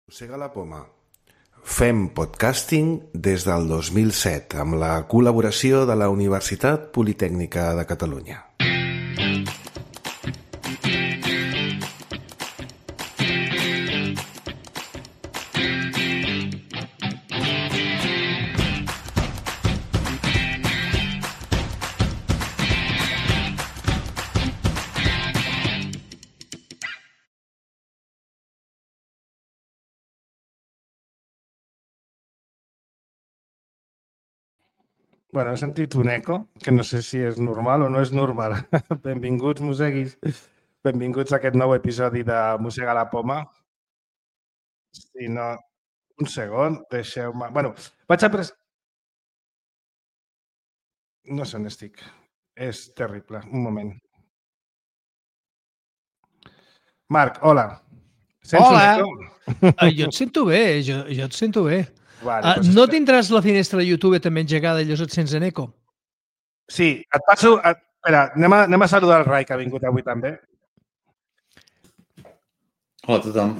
Mossega la poma. Fem podcasting des del 2007 amb la col·laboració de la Universitat Politècnica de Catalunya. Bueno, he sentit un eco, que no sé si és normal o no és normal. Benvinguts, mosseguis. Benvinguts a aquest nou episodi de Mossega la poma. Si no... Un segon, deixeu-me... Bueno, vaig a No sé on estic. És terrible. Un moment. Marc, hola. Sents Hola. un eco? Jo et sento bé, jo et sento bé. Vale, doncs No tindràs la finestra de YouTube també engegada i llavors et sents en eco? Sí, et passo... Espera, anem a saludar el Rai, que ha vingut avui també. Hola a tothom.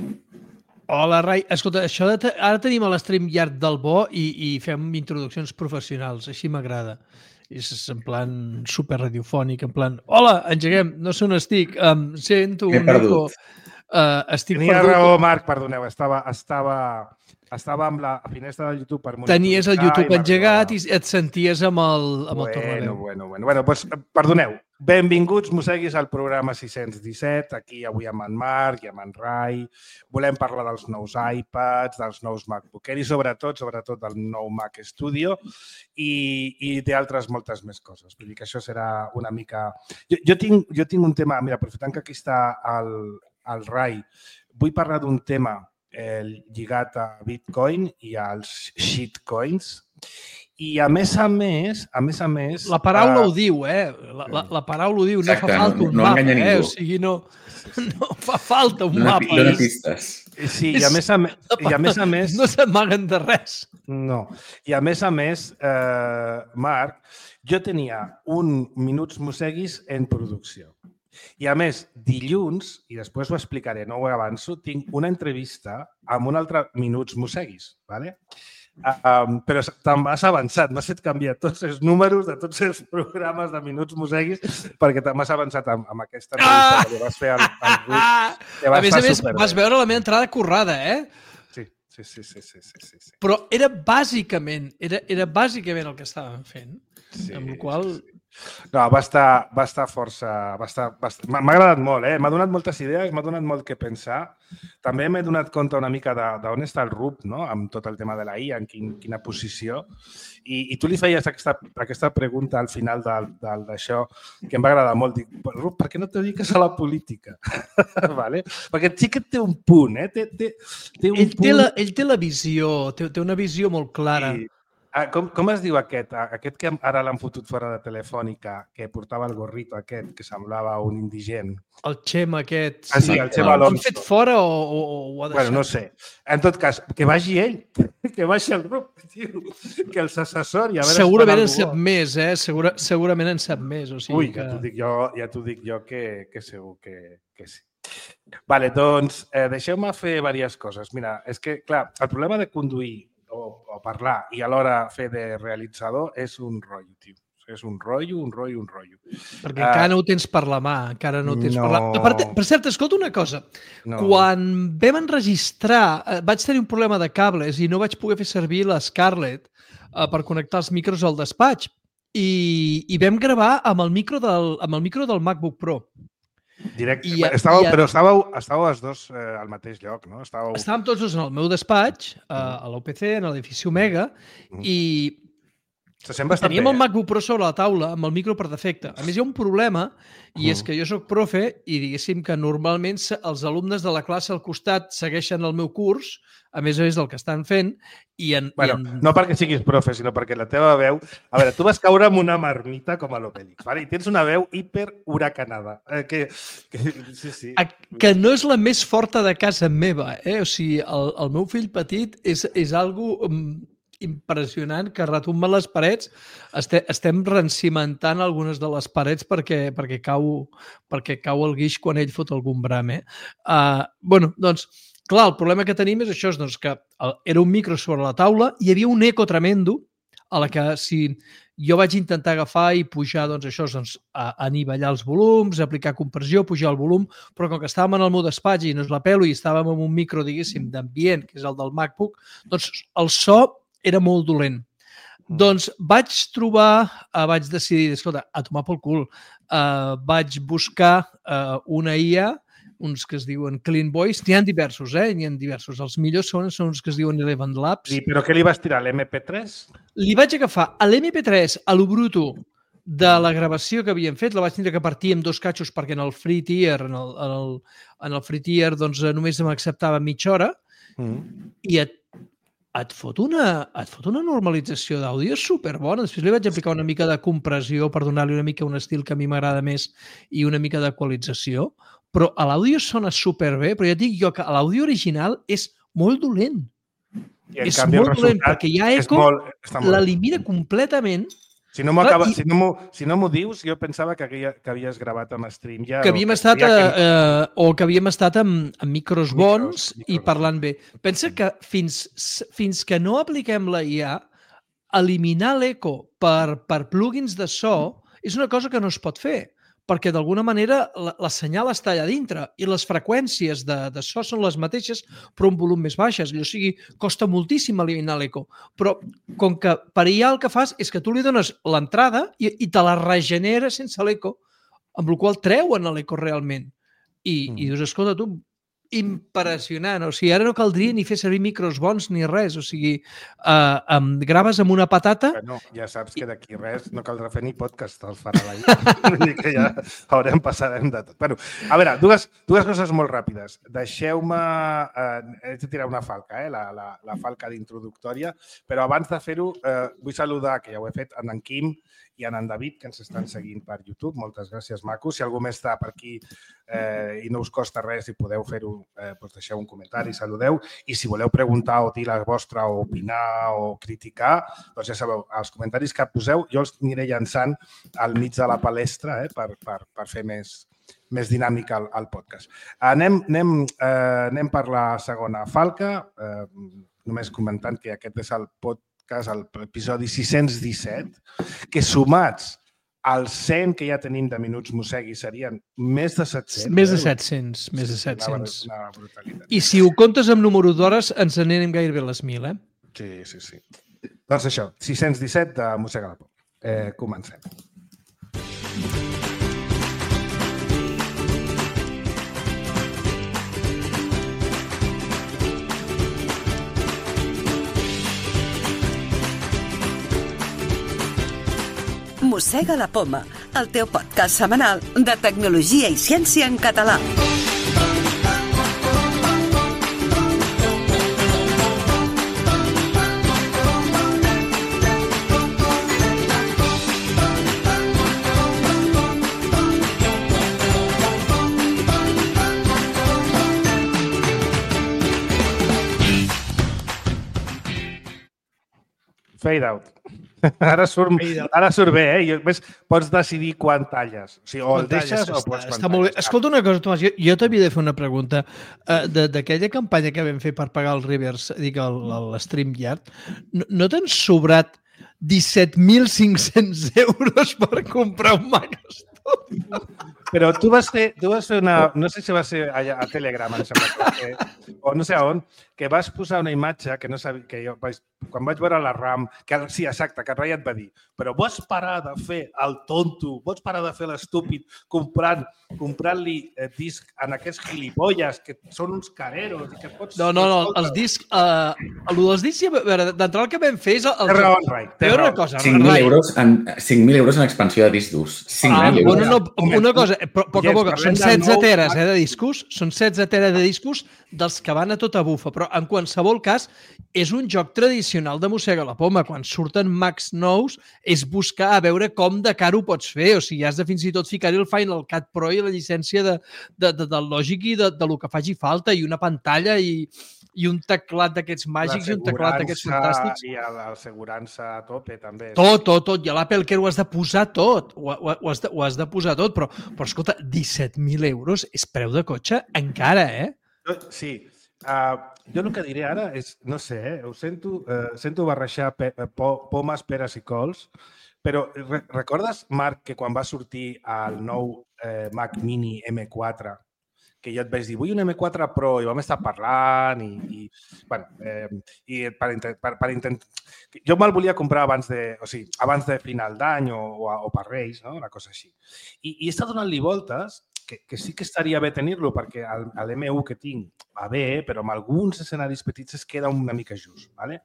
Hola, Rai. Escolta, ara tenim a l'StreamYard del bo i fem introduccions professionals. Així m'agrada. És en plan super radiofònic, en plan, hola, engeguem, no sé on estic, sento un eco. Estic Tenia perdut. raó, Marc, perdoneu, estava amb la finestra del YouTube per monitoritzar. Tenies el YouTube engegat i et senties amb el tornaveu. Bueno, doncs, perdoneu. Benvinguts, mosseguis, al programa 617. Aquí avui amb en Marc i amb en Rai. Volem parlar dels nous iPads, dels nous MacBook Air i sobretot del nou Mac Studio i d'altres moltes més coses. Vull dir que això serà una mica... Jo tinc un tema, mira, aprofitant que aquí està el Rai, vull parlar d'un tema lligat a Bitcoin i als shitcoins. I a més a més... La paraula ho diu, La paraula ho diu, no fa falta un mapa, O sigui, no fa falta un mapa. Dóna pistes. Sí, i a més a més... No s'amaguen de res. No. I a més, Marc, jo tenia un Minuts Mosseguis en producció. I a més, dilluns, i després ho explicaré, no ho avanço, tinc una entrevista amb un altre Minuts Mosseguis, ¿vale? Però te'n vas avançat, m'has fet canviar tots els números de tots els programes de Minuts Mosseguis perquè te m'has avançat amb aquesta entrevista que vas fer al grup. A més, vas veure la meva entrada currada, Sí. Però era bàsicament el que estàvem fent, amb la qual... No, va estar força... M'ha agradat molt, M'ha donat moltes idees, m'ha donat molt que pensar. També m'he donat compte una mica d'on està el RUP, no?, amb tot el tema de la IA, en quina posició. I tu li feies aquesta pregunta al final d'això, que em va agradar molt. Dic, RUP, per què no te dediques a la política? Vale? Perquè sí que té un punt, Ell té la visió, té una visió molt clara. Com es diu aquest que ara l'han fotut fora de Telefònica, que portava el gorrito aquest, que semblava un indigent? El Xema aquest. Sí, el Xema Alonso. L'han fet fora o ho ha deixat? Bueno, no sé. En tot cas, que vagi ell, que vagi el grup, tio, que els assessori. Segurament en sap més, Segurament en sap més. O sigui Ui, ja t'ho dic jo que segur que sí. Vale, doncs, deixeu-me fer diverses coses. Mira, és que, clar, el problema de conduir o parlar i alhora fer de realitzador és un rotllo, tio. És un rotllo. Perquè encara no ho tens per la mà, encara no ho tens per la... Per cert, escolta una cosa. No. Quan vam enregistrar, vaig tenir un problema de cables i no vaig poder fer servir la Scarlett per connectar els micros al despatx i vam gravar amb el micro del MacBook Pro. Directe. Però estàveu els dos al mateix lloc, no? Estàvem tots dos en el meu despatx, a l'UPC, en l'edifici Omega, i teníem el MacBook Pro sobre la taula amb el micro per defecte. A més, hi ha un problema, i és que jo soc profe i diguéssim que normalment els alumnes de la classe al costat segueixen el meu curs, a més del que estan fent. No perquè siguis profe, sinó perquè la teva veu... A veure, tu vas caure amb una marmita com a l'Obélix, i tens una veu hiperhuracanada. Sí. Que no és la més forta de casa meva. O sigui, el meu fill petit és algo impressionant que retumba les parets. Estem recimentant algunes de les parets perquè cau el guix quan ell fot algun bram. Bueno, doncs, Clar, el problema que tenim és això, doncs, que era un micro sobre la taula i hi havia un eco tremendo a la que si jo vaig intentar agafar i pujar, doncs això, doncs, a anivellar els volums, aplicar compressió, pujar el volum, però com que estàvem en el meu despatx i no és la pelo i estàvem en un micro, diguéssim, d'ambient, que és el del MacBook, doncs el so era molt dolent. Doncs vaig decidir, escolta, a tomar pel cul. Vaig buscar una IA, uns que es diuen Clean Voice. N'hi ha diversos, N'hi ha diversos. Els millors són uns que es diuen Eleven Labs. Sí, però què li vas tirar, l'MP3? Li vaig agafar a l'MP3, a lo bruto de la gravació que havíem fet. La vaig tindre que partir en 2 catxos perquè en el free tier, en el free tier, doncs només m'acceptava mitja hora. I et fot una normalització d'àudio superbona. Després li vaig aplicar una mica de compressió per donar-li una mica un estil que a mi m'agrada més i una mica d'equalització. Però a l'àudio sona superbé, però ja et dic jo que l'àudio original és molt dolent. És molt dolent, perquè hi ha eco, l'elimina completament. Si no m'ho dius, jo pensava que havies gravat amb Stream ja. Que havíem estat, o que havíem estat amb micros bons i parlant bé. Pensa que fins que no apliquem la IA, eliminar l'eco per plugins de so és una cosa que no es pot fer, perquè d'alguna manera la senyal està allà dintre i les freqüències de so són les mateixes però un volum més baixes. O sigui, costa moltíssim eliminar l'eco. Però com que per IA el que fas és que tu li dones l'entrada i te la regenera sense l'eco, amb la qual treuen l'eco realment. I dius, escolta, tu, impressionant. O sigui, ara no caldria ni fer servir micros bons ni res. O sigui, graves amb una patata... No, ja saps que d'aquí res no caldrà fer ni podcast, els farà la IA. Vull dir que ja passarem de tot. Bueno, a veure, dues coses molt ràpides. Deixeu-me... Haig de tirar una falca, la falca d'introductòria, però abans de fer-ho vull saludar, que ja ho he fet, en Quim i en David, que ens estan seguint per YouTube. Moltes gràcies, macos. Si algú més està per aquí i no us costa res i podeu fer-ho, doncs deixeu un comentari, saludeu. I si voleu preguntar o dir la vostra o opinar o criticar, doncs ja sabeu, els comentaris que poseu jo els aniré llançant al mig de la palestra per fer més dinàmic el podcast. Anem per la segona falca, només comentant que aquest és el podcast, l'episodi 617, que sumats als 100 que ja tenim de Minuts Mossegui serien més de 700. Més de 700, més de 700. Una brutalitat. I si ho comptes amb número d'hores, ens n'anem gairebé les 1.000, Sí. Doncs això, 617 de Mossega la Por. Comencem. Mossega la Poma, el teu podcast setmanal de tecnologia i ciència en català. Fade out. Ara surt bé, Pots decidir quan talles. O sigui, o el deixes o pots quan talles. Escolta una cosa, Tomàs, jo t'havia de fer una pregunta. D'aquella campanya que vam fer per pagar el reverse, l'StreamYard, no t'han sobrat 17.500 euros per comprar un Mac Studio? Però tu vas fer una... No sé si va ser a Telegram, em sembla, o no sé on, que vas posar una imatge que no sabia... que jo quan vaig veure la RAM, sí, exacte, que el Rai et va dir, però vols parar de fer el tonto, vols parar de fer l'estúpid comprant-li disc en aquests gilipolles que són uns careros i que pots... No, els discs... Els discs, d'entrada el que vam fer és... Té raó, Rai. 5.000 euros en expansió de disc durs. 5.000 euros. Una cosa, poc a poc, són 16 teres de discos, són 16 teres de discos dels que van a tota bufa, però en qualsevol cas és un joc tradicional de Mossega la Poma. Quan surten Macs nous és buscar a veure com de car ho pots fer, o sigui, has de fins i tot ficar-hi el Final Cut Pro i la llicència del Logic i del que faci falta, i una pantalla i un teclat d'aquests màgics i un teclat d'aquests fantàstics. I l'assegurança a tope, també. Tot. I a l'Apple Care ho has de posar tot. Ho has de posar tot, però escolta, 17.000 euros és preu de cotxe encara, Sí. Jo el que diré ara és, no sé, ho sento barrejar pomes, peres i cols, però recordes, Marc, que quan va sortir el nou Mac Mini M4, que jo et vaig dir, vull un M4 Pro, i vam estar parlant i per intentar... Jo me'l volia comprar abans de final d'any o per Reis, no? Una cosa així. I he estat donant-li voltes, que sí que estaria bé tenir-lo, perquè l'M1 que tinc va bé, però en alguns escenaris petits es queda una mica just. ¿Vale?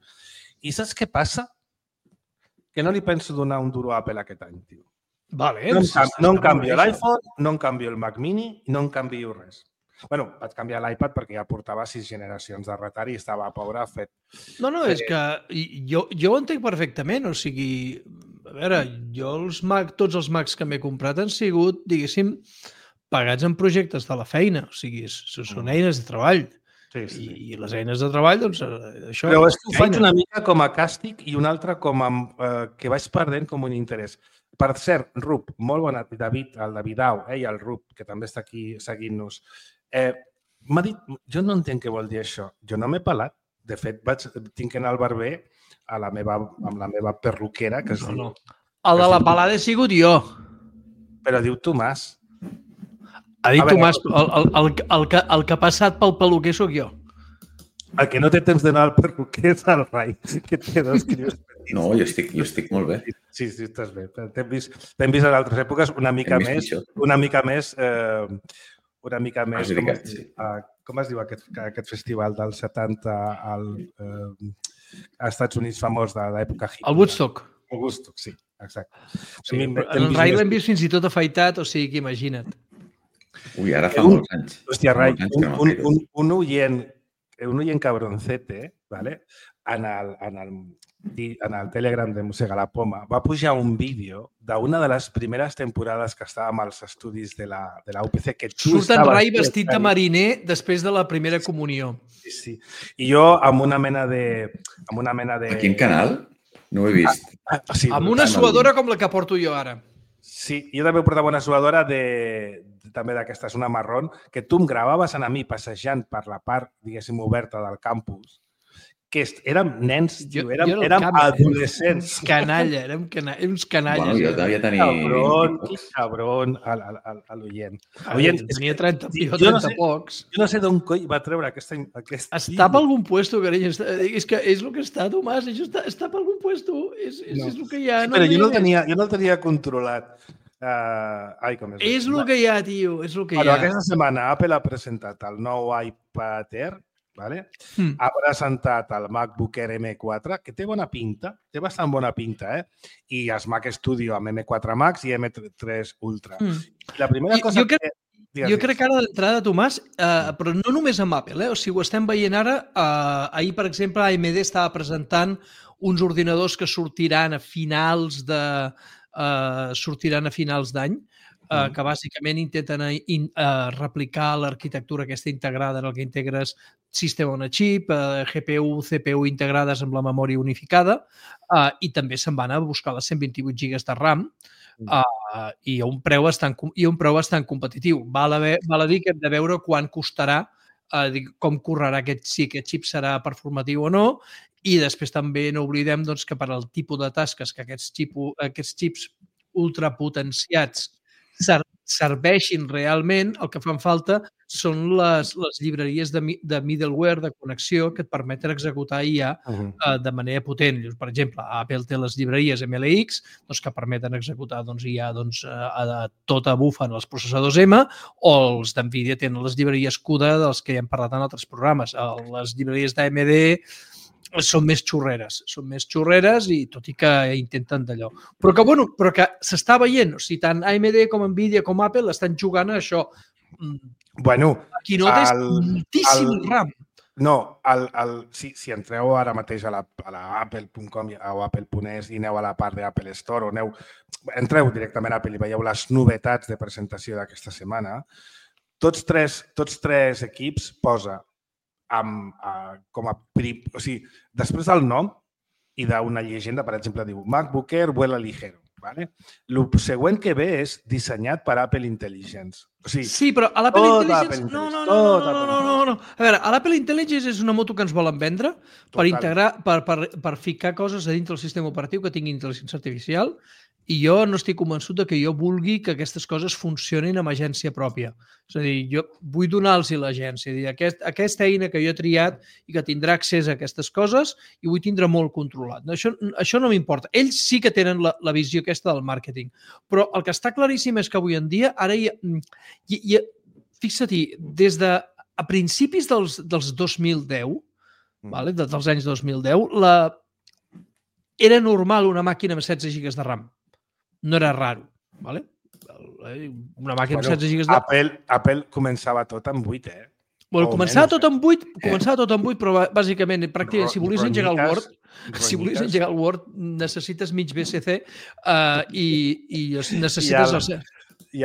I saps què passa? Que no li penso donar un duro a Apple aquest any, tio. Vale, no em canvio l'iPhone, no em canvio el Mac Mini, no em canvio res. Bueno, vaig canviar l'iPad perquè ja portava 6 generacions de retard i estava pobre fet. No, és que jo ho entenc perfectament. O sigui, a veure, jo tots els Macs que m'he comprat han sigut, diguéssim, pagats en projectes de la feina. O sigui, són eines de treball. Sí. I les eines de treball, doncs, això... Però és que ho faig una mica com a càstig i una altra com a que vaig perdent com un interès. Per cert, Rup, molt bona, David, el Davidau, i el Rup, que també està aquí seguint-nos. M'ha dit, jo no entenc què vol dir això. Jo no m'he pelat. De fet, tinc que anar al barber amb la meva perruquera, que es diu... El de la pelada he sigut jo. Però diu Tomàs. Ha dit Tomàs, el que ha passat pel peluquer sóc jo. El que no té temps d'anar al perruquer és el Rai, que té dos crios petits. No, jo estic molt bé. Sí, estàs bé. T'hem vist en altres èpoques una mica més... Com es diu aquest festival del 70 als Estats Units famós de l'època hippie? El Woodstock. El Woodstock, sí, exacte. El Rai l'hem vist fins i tot afaitat, o sigui que imagina't. Ui, ara fa molts anys. Hòstia, Rai, un oient cabroncete, ¿vale? En el Telegram de Mossega la Poma va pujar un vídeo d'una de les primeres temporades que estàvem als estudis de la UPC. Surt en Rai vestit de mariner després de la primera comunió. Sí. I jo amb una mena de... A quin canal? No ho he vist. Amb una suadora com la que porto jo ara. Sí, jo també portava una suadora també d'aquestes, una marrón, que tu em gravaves a mi passejant per la part, diguéssim, oberta del campus, que érem nens, érem adolescents. Érem uns canalles. Bueno, jo devia tenir... Cabron, a l'oient. Tenia 30 pocs. Jo no sé d'on coi va treure aquest... Està per algun puesto, carinyo. És que és el que està, Tomàs. Això està per algun puesto. És el que hi ha. Però jo no el tenia controlat. És el que hi ha, tio. És el que hi ha. Aquesta setmana Apple ha presentat el nou iPad Air, ¿vale? Ha presentat el MacBook Air M4, que té bona pinta, té bastant bona pinta, i els Mac Studio amb M4 Max i M3 Ultra. La primera cosa jo crec que ara d'entrada, Tomàs, però no només amb Apple, o sigui, ho estem veient ara. Ahir, per exemple, AMD estava presentant uns ordinadors que sortiran a finals d'any, que bàsicament intenten replicar l'arquitectura aquesta integrada en el que integres sistema on a xip, GPU, CPU integrades amb la memòria unificada, i també se'n van a buscar les 128 GB de RAM i a un preu bastant competitiu. Val a dir que hem de veure quan costarà, com correrà aquest xip serà performatiu o no, i després també no oblidem que per al tipus de tasques que aquests xips ultrapotenciats serveixin realment, el que fan falta són les llibreries de middleware, de connexió, que et permeten executar IA de manera potent. Per exemple, Apple té les llibreries MLX que permeten executar IA a tota bufa en els processadors M, o els d'NVIDIA tenen les llibreries CUDA dels que ja hem parlat en altres programes. Les llibreries d'AMD són més xurreres i tot i que intenten d'allò. Però que s'està veient, o sigui, tant AMD com NVIDIA com Apple estan jugant a això. Aquí no tens moltíssim RAM. No, si entreu ara mateix a apple.com o apple.es i aneu a la part d'Apple Store o entreu directament a Apple i veieu les novetats de presentació d'aquesta setmana, tots tres equips posa o sigui, després del nom i d'una llegenda, per exemple, diu MacBook Air vuela ligero. El següent que ve és dissenyat per Apple Intelligence. Sí, però a l'Apple Intelligence... No. A veure, a l'Apple Intelligence és una moto que ens volen vendre per integrar, per ficar coses a dintre del sistema operatiu que tingui intel·ligència artificial, i jo no estic convençut que jo vulgui que aquestes coses funcionin amb agència pròpia. És a dir, jo vull donar-los l'agència. Aquesta eina que jo he triat i que tindrà accés a aquestes coses i vull tindre molt controlat. Això no m'importa. Ells sí que tenen la visió aquesta del màrqueting. Però el que està claríssim és que avui en dia, ara fixa-t'hi, des de a principis dels 2010, dels anys 2010, era normal una màquina amb 16 GB de RAM. No era raro, ¿vale? Una màquina amb 16 GB de... Apple començava tot amb 8, Bueno, començava tot amb 8, però bàsicament, pràcticament, si volies engegar el Word, necessites mig BCC i necessites... I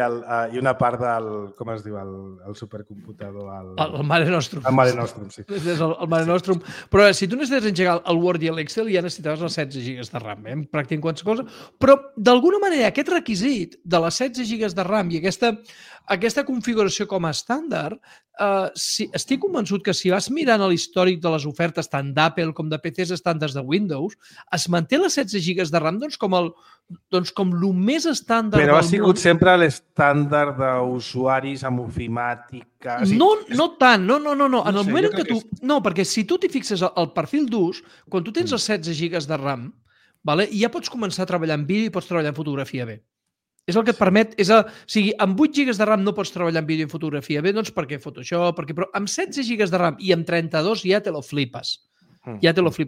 una part del, com es diu, el supercomputador... El Mare Nostrum. El Mare Nostrum, sí. El Mare Nostrum. Però si tu necessites engegar el Word i l'Excel, ja necessitaves les 16 GB de RAM, pràcticament qualsevol cosa. Però, d'alguna manera, aquest requisit de les 16 GB de RAM i aquesta configuració com a estàndard, estic convençut que si vas mirant a l'històric de les ofertes tant d'Apple com de PCs estàndards de Windows, es manté les 16 GB de RAM com el més estàndard del món. Però ha sigut sempre l'estàndard d'usuaris amb ofimàtica... No tant, no. En el moment en què tu... No, perquè si tu t'hi fixes el perfil d'ús, quan tu tens els 16 GB de RAM, ja pots començar a treballar en vídeo i pots treballar en fotografia bé. És el que et permet... O sigui, amb 8 GB de RAM no pots treballar en vídeo i en fotografia bé, doncs perquè Photoshop, però amb 16 GB de RAM i amb 32 ja te lo flipes.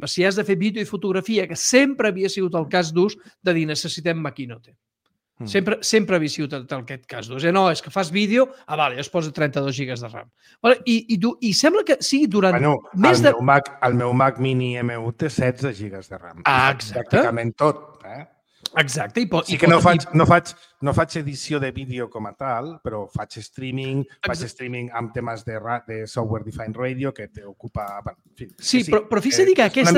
Si has de fer vídeo i fotografia, que sempre havia sigut el cas d'ús de dir necessitem maquinote. Sempre havia sigut aquest cas d'ús. No, és que fas vídeo, es posa 32 GB de RAM. I sembla que sigui durant més de... El meu Mac Mini M1 té 16 GB de RAM. Exacte. Pràcticament tot, Exacte. Sí que no faig edició de vídeo com a tal, però faig streaming amb temes de software defined radio que t'ocupa... Sí, però fixa't que aquest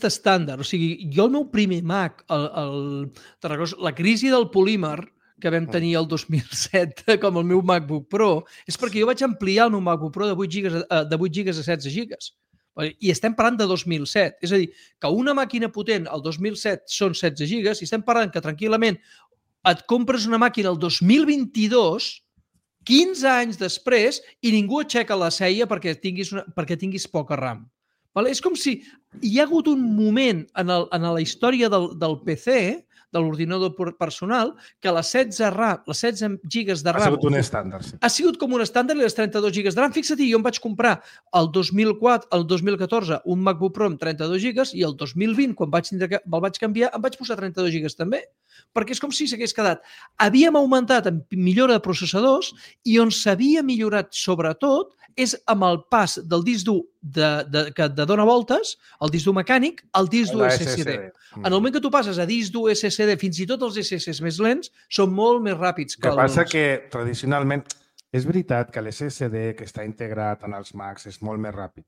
estàndard, o sigui, jo el meu primer Mac, la crisi del polímer que vam tenir el 2007 com el meu MacBook Pro, és perquè jo vaig ampliar el meu MacBook Pro de 8 GB a 16 GB. I estem parlant de 2007. És a dir, que una màquina potent el 2007 són 16 gigas i estem parlant que tranquil·lament et compres una màquina el 2022, 15 anys després, i ningú aixeca la ceia perquè tinguis poca RAM. És com si hi ha hagut un moment en la història del PC, de l'ordinador personal, que les 16 gigas de RAM... Ha sigut un estàndard, sí. Ha sigut com un estàndard i les 32 gigas de RAM. Fixa't, jo em vaig comprar el 2014 un MacBook Pro amb 32 gigas i el 2020, quan me'l vaig canviar, em vaig posar 32 gigas també. Perquè és com si s'hagués quedat. Havíem augmentat en millora de processadors i on s'havia millorat sobretot és amb el pas del disc dur que dona voltes, el disc dur mecànic, al disc dur SSD. En el moment que tu passes a disc dur SSD, fins i tot els SSDs més lents són molt més ràpids que els... El que passa que tradicionalment és veritat que l'SSD que està integrat en els Macs és molt més ràpid,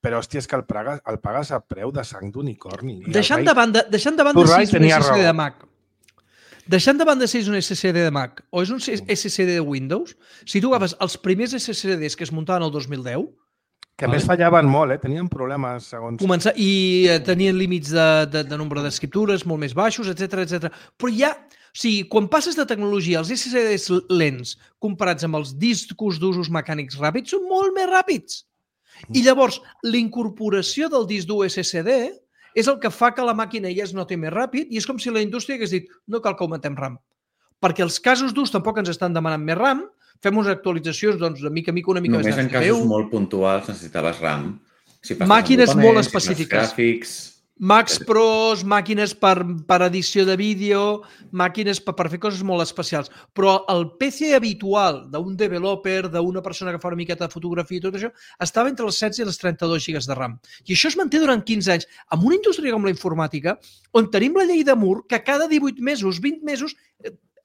però hòstia, és que el pagues a preu de sang d'unicorni. Deixant de banda si és un SSD de Mac. Deixant de banda si és un SSD de Mac o és un SSD de Windows, si tu agafes els primers SSDs que es muntaven el 2010... Que a més fallaven molt, tenien problemes segons... I tenien límits de nombre d'escriptures molt més baixos, etc. Però ja... O sigui, quan passes de tecnologia, els SSDs lents comparats amb els discos d'usos mecànics ràpids són molt més ràpids. I llavors, l'incorporació del disc dur SSD és el que fa que la màquina ja es noti més ràpid i és com si la indústria hagués dit no cal que augmentem RAM. Perquè els casos d'ús tampoc ens estan demanant més RAM, fem unes actualitzacions, doncs, de mica en mica, una mica més de CPU. Només en casos molt puntuals necessitaves RAM. Màquines molt específiques. Gràfics... Macs Pros, màquines per edició de vídeo, màquines per fer coses molt especials. Però el PC habitual d'un developer, d'una persona que fa una miqueta de fotografia i tot això, estava entre les 16 i les 32 gigas de RAM. I això es manté durant 15 anys. En una indústria com la informàtica, on tenim la llei de Moore, que cada 18 mesos, 20 mesos,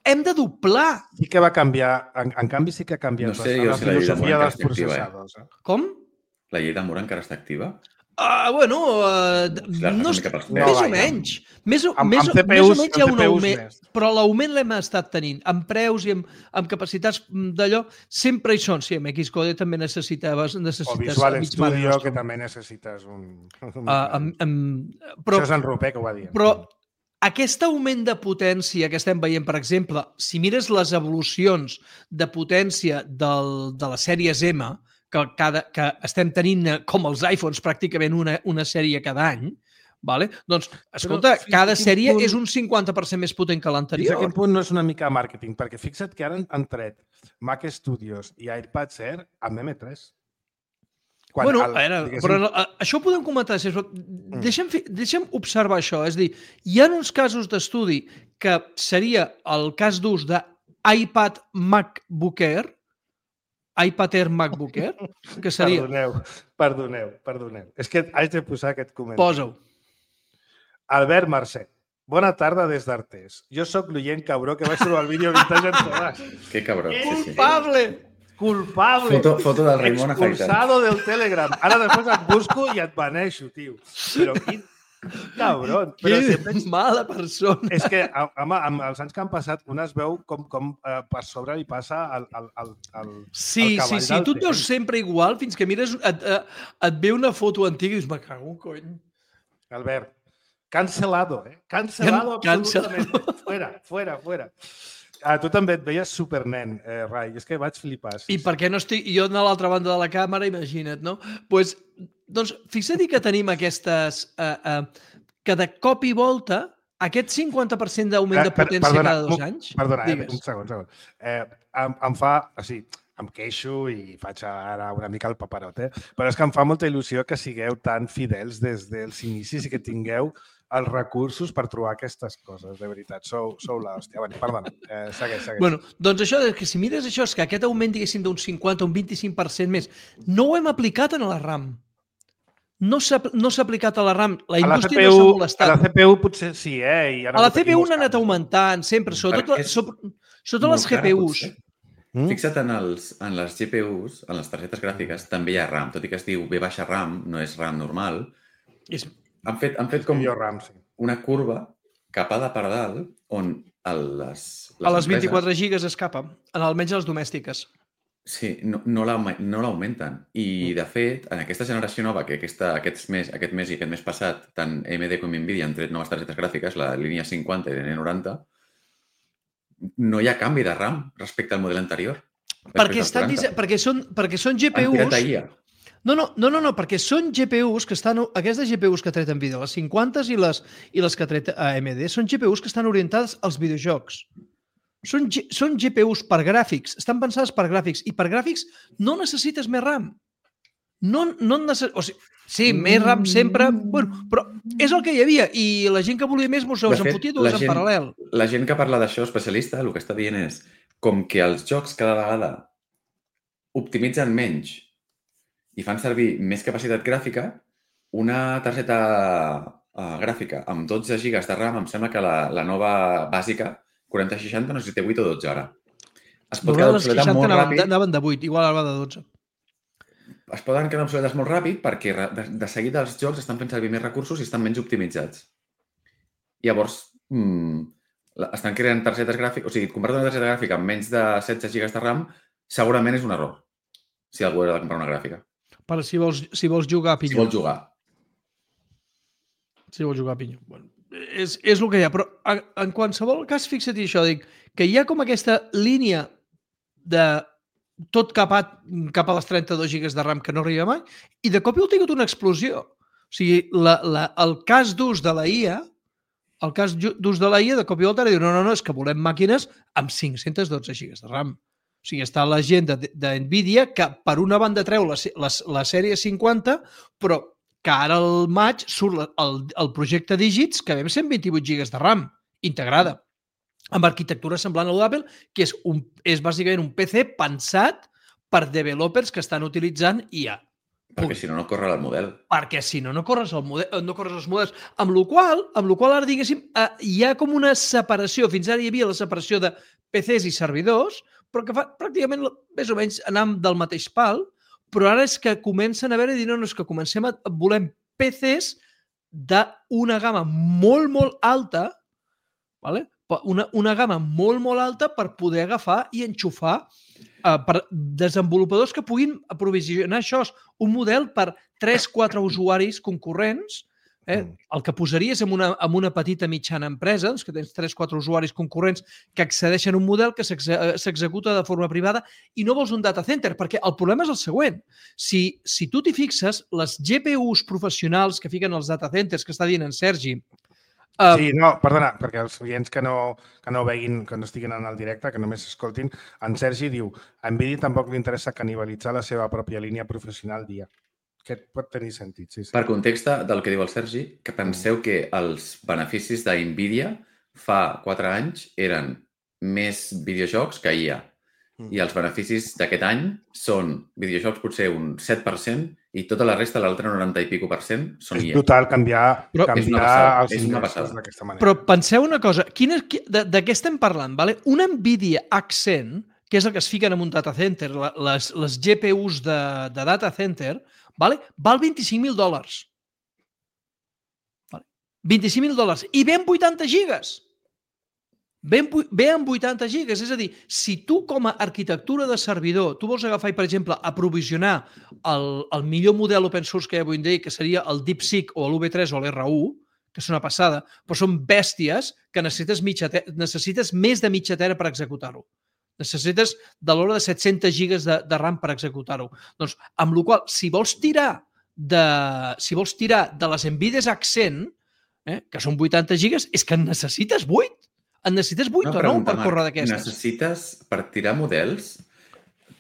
hem de doblar. Sí que va canviar. En canvi, sí que ha canviat la filosofia dels processadors. Com? La llei de Moore encara està activa? Bueno, més o menys. Més o menys hi ha un augment, però l'augment l'hem estat tenint. Amb preus i amb capacitats d'allò, sempre hi són. Sí, amb Xcode també necessites o Visual Studio, que també necessites un... Això és en Rupé, que ho va dir. Però aquest augment de potència que estem veient, per exemple, si mires les evolucions de potència de les sèries M, que estem tenint com els iPhones pràcticament una sèrie cada any, vale? Doncs, escolta, cada sèrie és un 50% més potent que l'anterior. Fins a quin punt no és una mica màrqueting? Perquè fixa't que ara han tret Mac Studios i iPads Air amb M3. Però això ho podem comentar. Deixa'm observar això. És a dir, hi ha uns casos d'estudi que seria el cas d'ús d'iPad MacBook Air, iPad Air MacBook Air, que seria... Perdoneu. És que haig de posar aquest comentari. Posa-ho. Albert Mercè. Bona tarda des d'Artés. Jo sóc l'oient cabró que vaig trobar el vídeo Vintage en Tomàs. Que cabró. Culpable! Foto del Raimon afaitat. Expulsado del Telegram. Ara després et busco i et baneixo, tio. Però quin cabron. Que mala persona. És que, home, amb els anys que han passat, un es veu com per sobre li passa al cavall del Sí. Tu et veus sempre igual fins que mires, et ve una foto antiga i dius, me cago un cony. Albert, cancelado, Cancelado absolutament. Fuera. Tu també et veies supernen, Rai. És que vaig flipar. I per què no estic jo a l'altra banda de la càmera, imagina't, no? Doncs fixa't que tenim aquestes... que de cop i volta, aquest 50% d'augment de potència cada 2 anys... Perdona, un segon. Em fa... O sigui, em queixo i faig ara una mica el paperot, però és que em fa molta il·lusió que sigueu tan fidels des dels inicis i que tingueu els recursos per trobar aquestes coses, de veritat. Sou l'hòstia. Perdona, segueix. Bueno, doncs això, que si mires això, és que aquest augment, diguéssim, d'un 50 o un 25% més, no ho hem aplicat a la RAM. No s'ha aplicat a la RAM. La indústria no s'ha molestat. A la CPU potser sí, I ara a la CPU n'ha anat augmentant, sempre, sobretot les GPUs. Fixa't en les GPUs, en les targetes gràfiques, també hi ha RAM. Tot i que es diu V RAM, no és RAM normal. Han fet com una curva capada per dalt on les a les 24 gigas escapa, almenys a les domèstiques. Sí, no l'augmenten. I, de fet, en aquesta generació nova, que aquest mes i aquest mes passat, tant AMD com Nvidia han tret noves targetes gràfiques, la línia 50 i la línia 90, no hi ha canvi de RAM respecte al model anterior. Perquè són GPUs... No, perquè són GPUs que estan... Aquestes GPUs que ha tret Nvidia, les 50 i les que ha tret AMD, són GPUs que estan orientades als videojocs. Són GPUs per gràfics, estan pensades per gràfics, i per gràfics no necessites més RAM. Sí, més RAM sempre... Bueno, però és el que hi havia, i la gent que volia més mos en fotia dues en paral·lel. La gent que parla d'això, especialista, el que està dient és com que els jocs cada vegada optimitzen menys i fan servir més capacitat gràfica, una targeta gràfica amb 12 gigas de RAM, em sembla que la nova bàsica, 4060, no sé si té 8 o 12 ara. Es pot quedar obsoleta molt ràpid. Anaven de 8, igual ara va de 12. Es poden quedar obsoletes molt ràpid perquè de seguida els jocs estan fent servir més recursos i estan menys optimitzats. Llavors, estan creant targetes gràfiques... O sigui, comprar una targeta gràfica amb menys de 16 gigas de RAM segurament és un error, si algú ha de comprar una gràfica. Per si vols jugar a pinyó. Si vols jugar a pinyó. Bueno, és el que hi ha. Però en qualsevol cas, fixa't això, dic, que hi ha com aquesta línia de tot cap a les 32 gigas de RAM que no arriba mai, i de cop hi ha tingut una explosió. O sigui, el cas d'ús de la IA, de cop i volta, diu, no, és que volem màquines amb 512 gigas de RAM. O sigui, està la gent de Nvidia que per una banda treu la sèrie 50, però que ara al maig surt el projecte Digits que ve amb 128 gigas de RAM integrada, amb arquitectura semblant a l'Apple, que és bàsicament un PC pensat per developers que estan utilitzant IA. Perquè si no, no corre el model. Perquè si no, no corres els models. Amb la qual ara, diguéssim, hi ha com una separació. Fins ara hi havia la separació de PCs i servidors, però que fa pràcticament més o menys anàvem del mateix pal, però ara és que comencen a veure i dir, no, és que volem PCs d'una gamma molt, molt alta, vale? Una gamma molt, molt alta per poder agafar i enxufar per desenvolupadors que puguin aprovisionar això. Un model per 3-4 usuaris concurrents. El que posaries en una petita mitjana empresa, que tens 3-4 usuaris concurrents que accedeixen a un model que s'executa de forma privada i no vols un data center, perquè el problema és el següent. Si tu t'hi fixes, les GPUs professionals que fiquen els data centers, que està dient en Sergi... Sí, no, perdona, perquè els oients que no veguin, que no estiguin en el directe, que només escoltin, en Sergi diu a Nvidia tampoc li interessa canibalitzar la seva pròpia línia professional dia. Que pot tenir sentit, sí. Per context del que diu el Sergi, que penseu que els beneficis d'Nvidia fa 4 anys eren més videojocs que IA. I els beneficis d'aquest any són videojocs potser un 7% i tota la resta, l'altre 90 i pico %, són IA. És brutal canviar els ingressos d'aquesta manera. Però penseu una cosa, de què estem parlant? Vale? Una Nvidia Accent, que és el que es fiquen en un data center, les GPUs de data center, val $25.000. $25.000. I ve amb 80 gigas. Ve amb 80 gigas. És a dir, si tu com a arquitectura de servidor, tu vols agafar i, per exemple, aprovisionar el millor model open source que hi ha avui en dia, que seria el DeepSeek o l'V3 o l'R1, que és una passada, però són bèsties que necessites més de mitja tera per executar-ho. Necessites de l'hora de 700 gigas de RAM per executar-ho. Doncs, amb la qual cosa, si vols tirar de les Nvidia Accent, que són 80 gigas, és que en necessites 8. En necessites 8 o 9 per córrer d'aquestes. Necessites, per tirar models,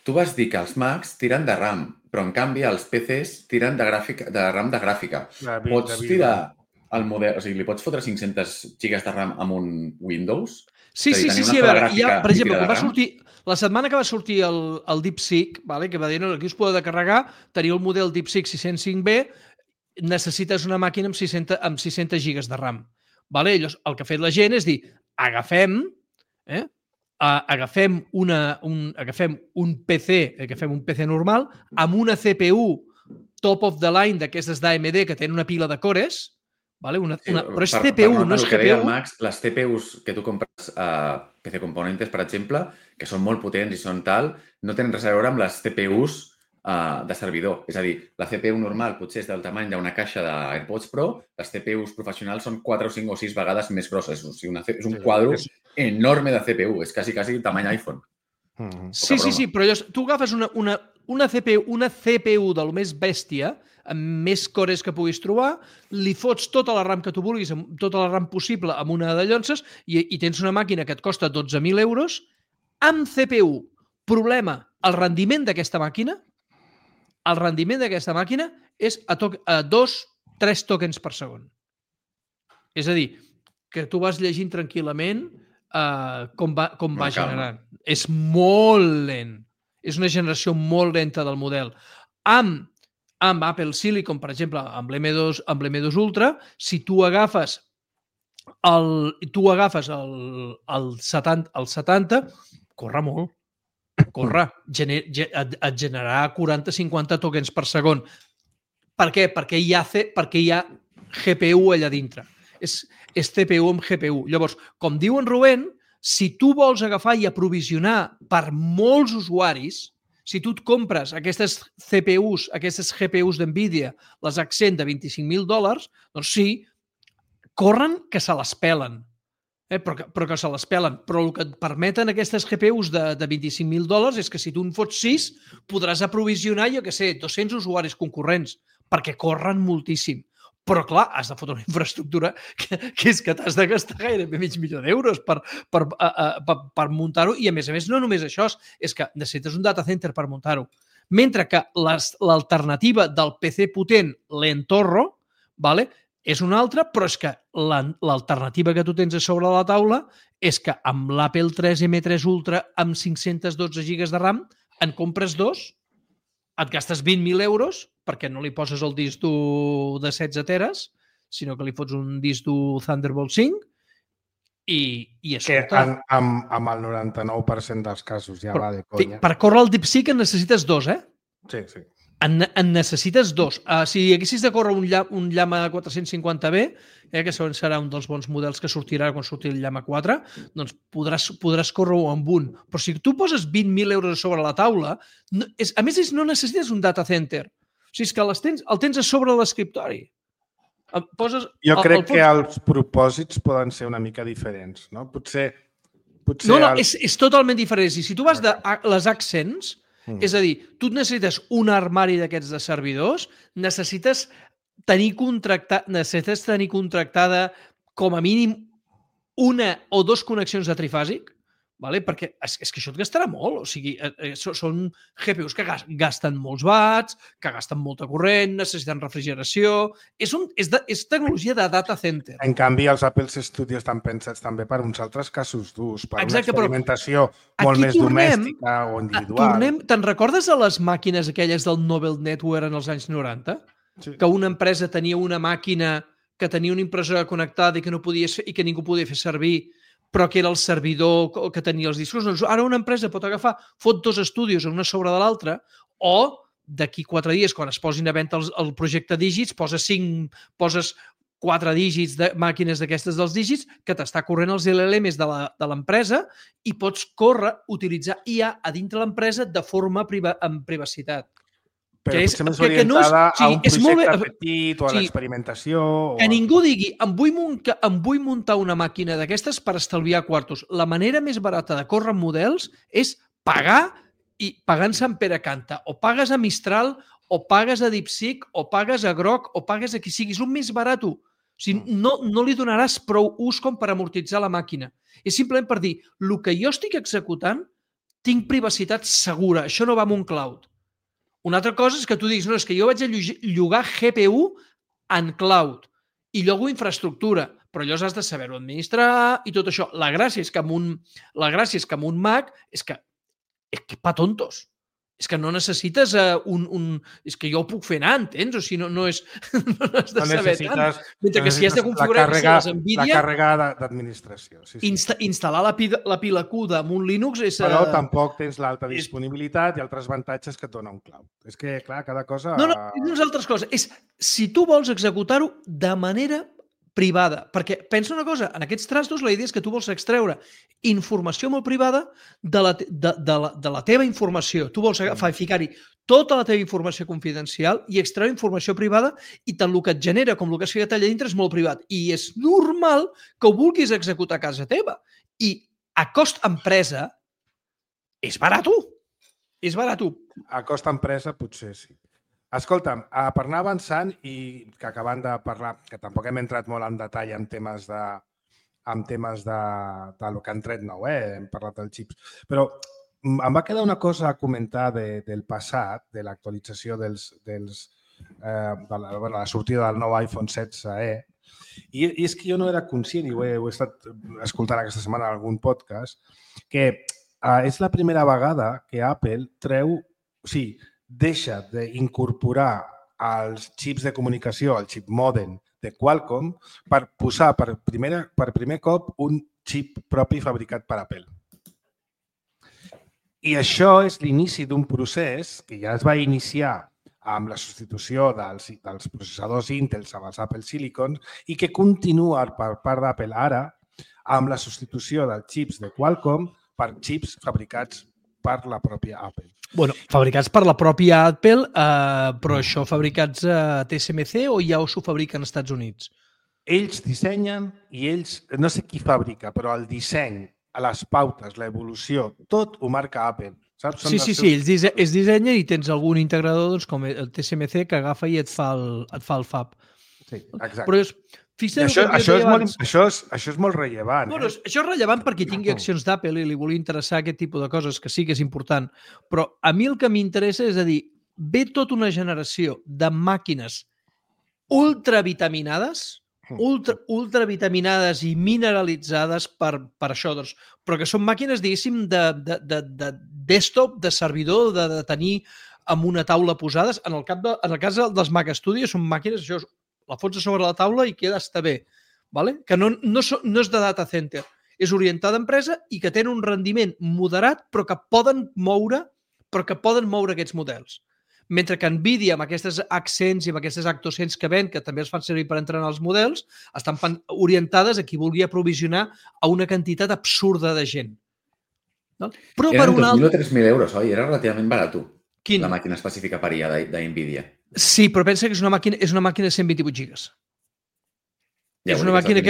tu vas dir que els Macs tiren de RAM, però en canvi els PCs tiren de RAM de gràfica. Pots tirar el model, o sigui, li pots fotre 500 gigas de RAM amb un Windows? Sí, a veure, per exemple, la setmana que va sortir el DeepSeek, que va dir que aquí us podeu carregar, teniu el model DeepSeek 605B, necessites una màquina amb 600 gigas de RAM. Llavors, el que ha fet la gent és dir, agafem un PC normal amb una CPU top of the line d'aquestes d'AMD que tenen una pila de cores, però és CPU, no és GPU. Les CPUs que tu compres a PC Componentes, per exemple, que són molt potents i són tal, no tenen res a veure amb les CPUs de servidor. És a dir, la CPU normal potser és del tamany d'una caixa d'AirPods Pro, les CPUs professionals són 4 o 5 o 6 vegades més grosses. O sigui, és un quadro enorme de CPU. És quasi tamany iPhone. Sí, però tu agafes una CPU del més bèstia, amb més cores que puguis trobar, li fots tota la RAM que tu vulguis, tota la RAM possible amb una de llonces i tens una màquina que et costa 12.000 euros amb CPU. Problema, el rendiment d'aquesta màquina és a 2-3 tokens per segon. És a dir, que tu vas llegint tranquil·lament com va generant. És molt lent. És una generació molt lenta del model. Amb Apple Silicon, per exemple, amb l'M2 Ultra, si tu agafes el 70, corre molt. Et generarà 40-50 tokens per segon. Per què? Perquè hi ha GPU allà dintre. És CPU amb GPU. Llavors, com diu en Rubén, si tu vols agafar i aprovisionar per molts usuaris, si tu et compres aquestes CPUs, aquestes GPUs d'Nvidia, les Accent de $25.000, doncs sí, corren que se les pelen. Però que se les pelen. Però el que et permeten aquestes GPUs de $25.000 és que si tu en fots 6, podràs aprovisionar, 200 usuaris concurrents, perquè corren moltíssim. Però, clar, has de fotre una infraestructura que és que t'has de gastar gairebé $500.000 per muntar-ho. I, a més, no només això, és que necessites un data center per muntar-ho. Mentre que l'alternativa del PC potent, l'Entorro, és una altra, però és que l'alternativa que tu tens a sobre la taula és que amb l'Apple 3 M3 Ultra amb 512 gigas de RAM en compres 2, et gastes 20.000 euros perquè no li poses el disc dur de 16 teres, sinó que li fots un disc dur Thunderbolt 5 i escolta... Que amb el 99% dels casos ja va de conya. Per córrer el DeepSeek en necessites 2, Sí. En necessites dos. Si haguessis de córrer un Llama 450B, que serà un dels bons models que sortirà quan surti el Llama 4, doncs podràs córrer-ho amb un. Però si tu poses 20.000 euros sobre la taula, a més no necessites un data center. O sigui, és que el tens a sobre l'escriptori. Jo crec que els propòsits poden ser una mica diferents, no? Potser no, és totalment diferent. Si tu vas de les Accents, és a dir, tu necessites un armari d'aquests de servidors, necessites tenir contractada com a mínim una o dos connexions de trifàsic, perquè és que això et gastarà molt. O sigui, són GPUs que gasten molts watts, que gasten molta corrent, necessiten refrigeració... És tecnologia de data center. En canvi, els Apple Studios estan pensats també per uns altres casos durs, per una experimentació molt més domèstica o individual. Te'n recordes de les màquines aquelles del Nobel Network en els anys 90? Sí. Que una empresa tenia una màquina que tenia una impressora connectada i que ningú podia fer servir, però que era el servidor que tenia els discos. Doncs ara una empresa pot agafar, fot dos estudis una sobre de l'altra, o d'aquí 4 dies, quan es posin a venda el projecte dígits, poses 4 dígits de màquines d'aquestes dels dígits, que t'està corrent els LLMs de l'empresa i pots utilitzar IA a dintre l'empresa de forma amb privacitat. Però potser més orientada a un projecte petit o a l'experimentació. Que ningú digui, em vull muntar una màquina d'aquestes per estalviar quartos. La manera més barata de córrer models és pagar i pagant Sant Pere Canta. O pagues a Mistral, o pagues a DeepSeek, o pagues a Grok, o pagues a qui sigui. És el més barat. O sigui, no li donaràs prou ús com per amortitzar la màquina. És simplement per dir, el que jo estic executant, tinc privacitat segura. Això no va amb un cloud. Una altra cosa és que tu diguis, no, és que jo vaig a llogar GPU en cloud i llogo infraestructura, però allò has de saber-ho administrar i tot això. La gràcia és que amb un Mac és que pa tontos. És que no necessites és que jo ho puc fer anar, entens? O sigui, no has de saber tant. Mentre que si has de configurar les NVIDIA... La càrrega d'administració. Instal·lar la pila Q amb un Linux és... Però tampoc tens l'alta disponibilitat i altres avantatges que et dona un cloud. És que, clar, cada cosa... No, és altres coses. És si tu vols executar-ho de manera privada. Perquè pensa una cosa, en aquests trastos la idea és que tu vols extreure informació molt privada de la teva informació. Tu vols ficar-hi tota la teva informació confidencial i extreure informació privada i tant el que et genera com el que es fica allà dintre és molt privat. I és normal que ho vulguis executar a casa teva. I a cost empresa és barat. És barat. A cost empresa potser sí. Escolta'm, per anar avançant i que acabant de parlar, que tampoc hem entrat molt en detall en temes de lo que han tret nou, hem parlat dels xips, però em va quedar una cosa a comentar del passat, de l'actualització de la sortida del nou iPhone 16e, i és que jo no era conscient, i ho he estat escoltant aquesta setmana en algun podcast, que és la primera vegada que Apple deixa d'incorporar els xips de comunicació, el xip modem de Qualcomm, per posar per primer cop un xip propi fabricat per Apple. I això és l'inici d'un procés que ja es va iniciar amb la substitució dels processadors Intel amb els Apple Silicon i que continua per part d'Apple ara amb la substitució dels xips de Qualcomm per xips fabricats per la pròpia Apple. Bueno, fabricats per la pròpia Apple, però això fabricats a TSMC o ja s'ho fabriquen als Estats Units? Ells dissenyen i ells, no sé qui fabrica, però el disseny, les pautes, l'evolució, tot ho marca Apple. Saps? Sí, ells dissenyen i tens algun integrador com el TSMC que agafa i et fa el fab. Sí, exacte. Però això és molt rellevant. Bueno, això és rellevant perquè tingui accions d'Apple i li volia interessar aquest tipus de coses, que sí que és important. Però a mi el que m'interessa és a dir, ve tota una generació de màquines ultravitaminades i mineralitzades per això, doncs, però que són màquines, diguéssim, de desktop, de servidor, de tenir amb una taula posades. En el cas dels Mac Studio són màquines, això la fots a sobre la taula i queda està bé, que no és de data center, és orientada a empresa i que tenen un rendiment moderat però que poden moure aquests models. Mentre que NVIDIA, amb aquestes accents i amb aquestes Actocents que ven, que també es fan servir per entrenar els models, estan orientades a qui vulgui aprovisionar a una quantitat absurda de gent. No? Però eren 2.000 o 3.000 euros, oi? Era relativament barat, Quin? La màquina específica per IA d'NVIDIA. Sí, però pensa que és una màquina de 128 gigas. Ja, és una màquina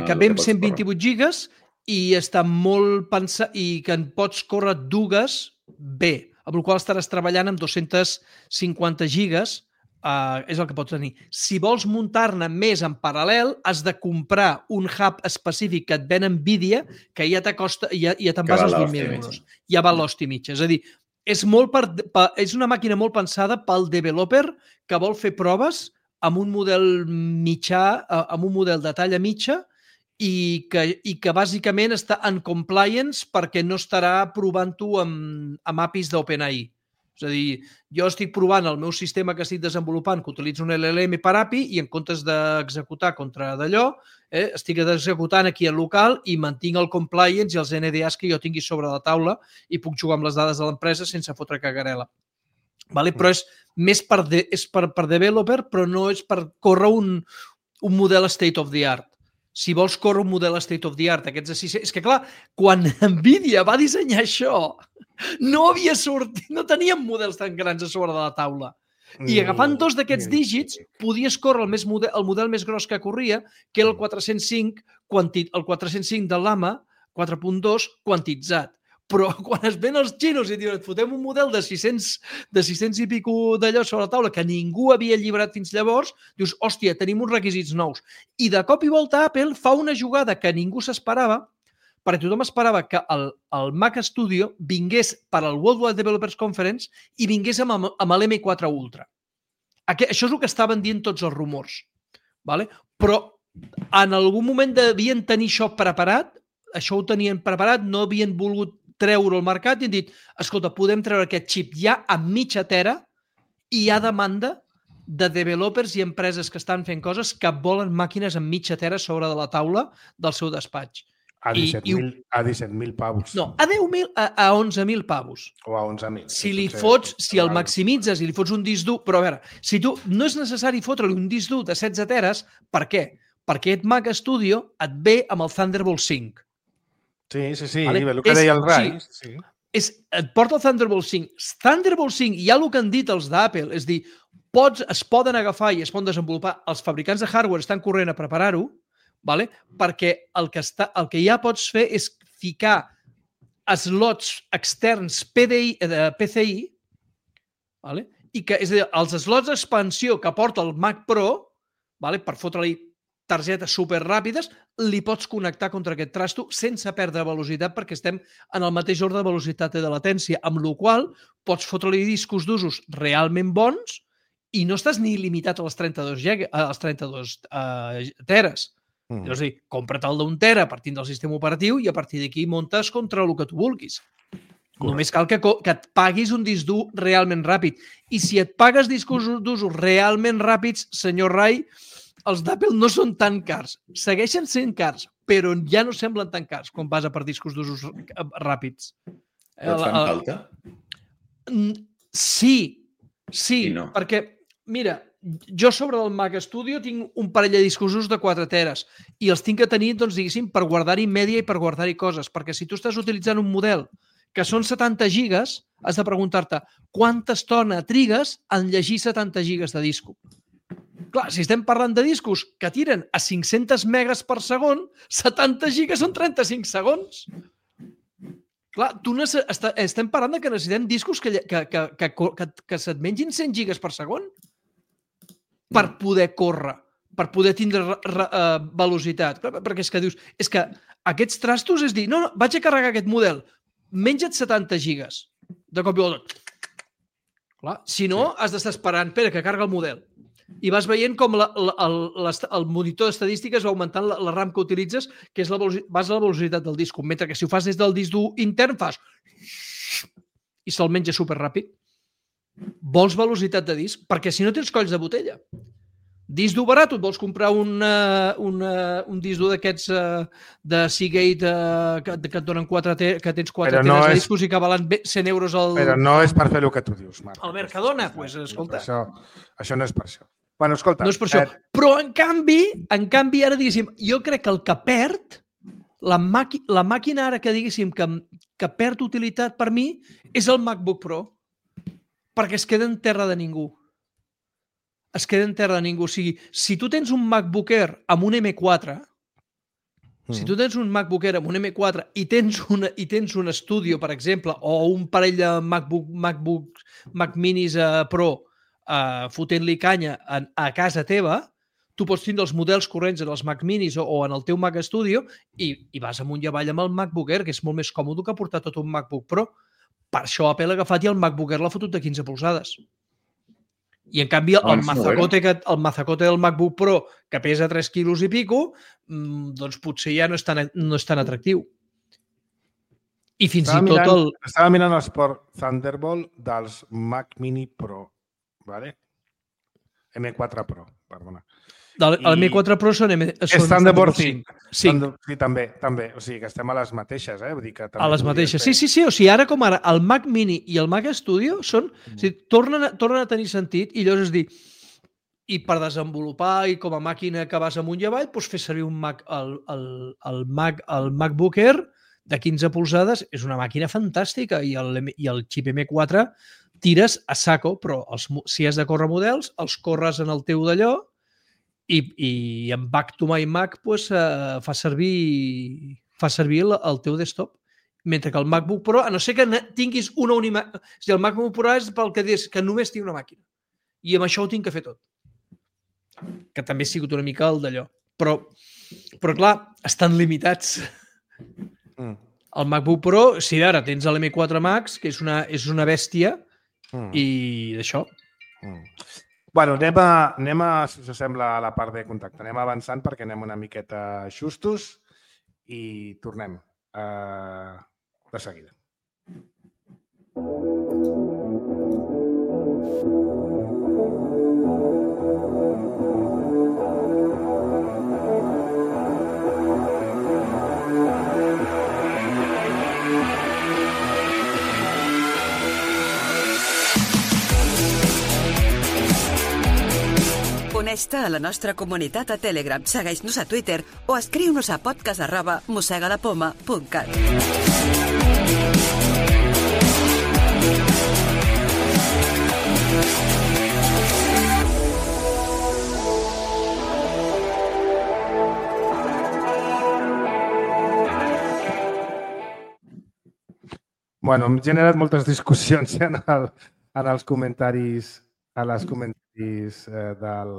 que ve amb 128 gigas i està molt pensat i que en pots córrer dues bé, amb el qual estaràs treballant amb 250 gigas, és el que pots tenir. Si vols muntar-ne més en paral·lel, has de comprar un hub específic que et ven NVIDIA, que ja t'acosta, ja te'n vas als 20.000 euros. Ja val l'hosti mitja. És a dir, és una màquina molt pensada pel developer que vol fer proves amb un model mitjà, amb un model de talla mitja, i que bàsicament està en compliance perquè no estarà provant-ho amb APIs d'OpenAI. És a dir, jo estic provant el meu sistema que estic desenvolupant, que utilitza un LLM per API, i en comptes d'executar contra d'allò, estic executant aquí al local i mantinc el compliance i els NDAs que jo tingui sobre la taula i puc jugar amb les dades de l'empresa sense fotre cagarela. Però és més per developer, però no és per córrer un model state of the art. Si vols córrer un model state of the art, aquests de 600... És que, clar, quan NVIDIA va dissenyar això, no havia sortit, no teníem models tan grans a sobre de la taula. I agafant dos d'aquests dígits, podies córrer el model més gros que corria, que era el 405, el 405 de l'AMA 4.2 quantitzat. Però quan es ven els xinos i diuen et fotem un model de 600 i pico d'allò sobre la taula que ningú havia llibrat fins llavors, dius, hòstia, tenim uns requisits nous. I de cop i volta Apple fa una jugada que ningú s'esperava, perquè tothom esperava que el Mac Studio vingués per al World Wide Developers Conference i vingués amb l'M4 Ultra. Això és el que estaven dient tots els rumors. Però en algun moment devien tenir això preparat, això ho tenien preparat, no havien volgut treure al mercat i han dit, escolta, podem treure aquest xip ja a mitja tera i hi ha demanda de developers i empreses que estan fent coses que volen màquines amb mitja tera sobre de la taula del seu despatx. A 17.000 pavos. No, a 10.000, a 11.000 pavos. O a 11.000. Si el maximitzes i li fots un disc dur... Però a veure, si tu no és necessari fotre-li un disc dur de 16 teres, per què? Perquè aquest Mac Studio et ve amb el Thunderbolt 5. Sí, vale? El que deia el Rai. Sí. Et porta el Thunderbolt 5. Thunderbolt 5, hi ha el que han dit els d'Apple, és dir, es poden agafar i es poden desenvolupar, els fabricants de hardware estan corrent a preparar-ho, perquè el que ja pots fer és ficar slots externs PCI, i que, és a dir, els slots d'expansió que porta el Mac Pro, per fotre-li targetes superràpides, li pots connectar contra aquest trasto sense perdre velocitat perquè estem en el mateix ordre de velocitat i de latència, amb la qual pots fotre-li discos d'usos realment bons i no estàs ni limitat a les 32 teres. És a dir, compra't el d'un tera partint del sistema operatiu i a partir d'aquí muntes contra el que tu vulguis. Només cal que et paguis un disc dur realment ràpid. I si et pagues discos d'usos realment ràpids, senyor Rai, els d'Apple no són tan cars. Segueixen sent cars, però ja no semblen tan cars quan vas a per discos d'usos ràpids. Però et fan falta? Sí, no. Perquè, mira, jo sobre el Mac Studio tinc un parell de discos d'usos de 4 teres i els tinc que tenir, doncs, diguéssim, per guardar-hi mèdia i per guardar-hi coses, perquè si tu estàs utilitzant un model que són 70 gigas, has de preguntar-te quanta estona trigues en llegir 70 gigas de disco. Clar, si estem parlant de discos que tiren a 500 megas per segon, 70 gigas són 35 segons. Clar, estem parlant que necessitem discos que se't mengin 100 gigas per segon per poder córrer, per poder tindre velocitat. Perquè és que dius, és que aquests trastos és dir, no, vaig a carregar aquest model, menja't 70 gigas. De cop i volta. Clar, si no, has d'estar esperant, espera, que carga el model. I vas veient com el monitor d'estadístiques va augmentant la RAM que utilitzes, que és vas a la velocitat del disc, mentre que si ho fas des del disc dur intern fas i se'l menja superràpid. Vols velocitat de disc? Perquè si no tens colls de botella. disc dur barat, et vols comprar un disc dur d'aquests de Seagate que et donen que tens 4 teles de discos i que valen 100 euros al... Però no és per fer el que tu dius, Marc. Al Mercadona, doncs, escolta. Això no és per això. Bueno, escolta... No és per això. Però, en canvi, ara, diguéssim, jo crec que el que perd, la màquina ara que, diguéssim, que perd utilitat per mi, és el MacBook Pro, perquè es queda en terra de ningú. Es queda en terra de ningú. O sigui, si tu tens un MacBook Air amb un M4, i tens un Studio, per exemple, o un parell de Mac Minis Pro fotent-li canya a casa teva, tu pots tindre els models corrents en els Mac Minis o en el teu Mac Studio i vas amunt i avall amb el MacBook Air, que és molt més còmode que portar tot un MacBook Pro. Per això Apple ha agafat i el MacBook Air l'ha fotut de 15 polzades. I, en canvi, el mazacote del MacBook Pro, que pesa 3 quilos i pico, doncs potser ja no és tan atractiu. I fins i tot el... Estava mirant els port Thunderbolt dels Mac Mini Pro, ¿vale? M4 Pro, perdona. El M4 Pro són Thunderbolt 5. Sí, també. O sigui, que estem a les mateixes, Vull dir que a les mateixes. Sí. O sigui, ara com ara, el Mac Mini i el Mac Studio tornen a tenir sentit i llavors és dir, i per desenvolupar i com a màquina que vas amunt i avall, doncs fer servir el MacBook Air de 15 polzades és una màquina fantàstica i el xip M4 tires a saco, però si has de córrer models, els corres en el teu d'allò i en Back to My Mac fa servir el teu desktop. Mentre que el MacBook Pro, a no ser que tinguis una única... O sigui, el MacBook Pro és pel que dius que només tinc una màquina. I amb això ho tinc que fer tot. Que també ha sigut una mica el d'allò. Però clar, estan limitats. El MacBook Pro, si ara tens l'M4 Max, que és una bèstia, i d'això... Bueno, anem a, si us sembla, a la part de contacte. Anem avançant perquè anem una miqueta justos i tornem de seguida. Uneix-te a la nostra comunitat a Telegram, segueix-nos a Twitter o escriu-nos a podcast@mosegalapoma.cat. Bueno, hem generat moltes discussions en els comentaris del...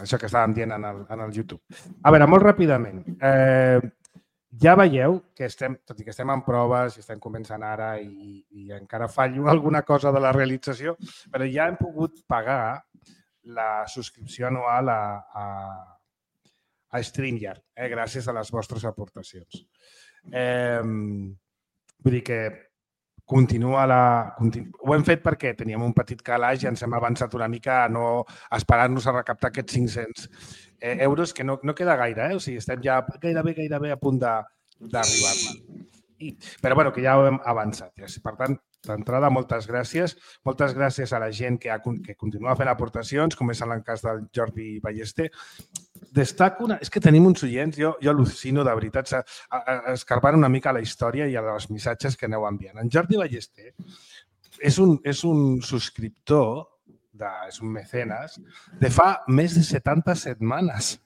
això que estàvem dient en el YouTube. A veure, molt ràpidament. Ja veieu que tot i que estem en proves i estem començant ara i encara fallo alguna cosa de la realització, però ja hem pogut pagar la subscripció anual a StreamYard, gràcies a les vostres aportacions. Vull dir que ho hem fet perquè teníem un petit calaix i ens hem avançat una mica a no esperar-nos a recaptar aquests 500 euros, que no queda gaire, O sigui, estem ja gairebé a punt d'arribar-ne. Però, bueno, que ja ho hem avançat. Per tant, d'entrada, moltes gràcies. Moltes gràcies a la gent que continua fent aportacions, com és en el cas del Jordi Ballester. Destaco és que tenim uns oients, jo al·lucino, de veritat, escarbant una mica la història i els missatges que aneu enviant. En Jordi Ballester és un subscriptor, és un mecenes, de fa més de 70 setmanes.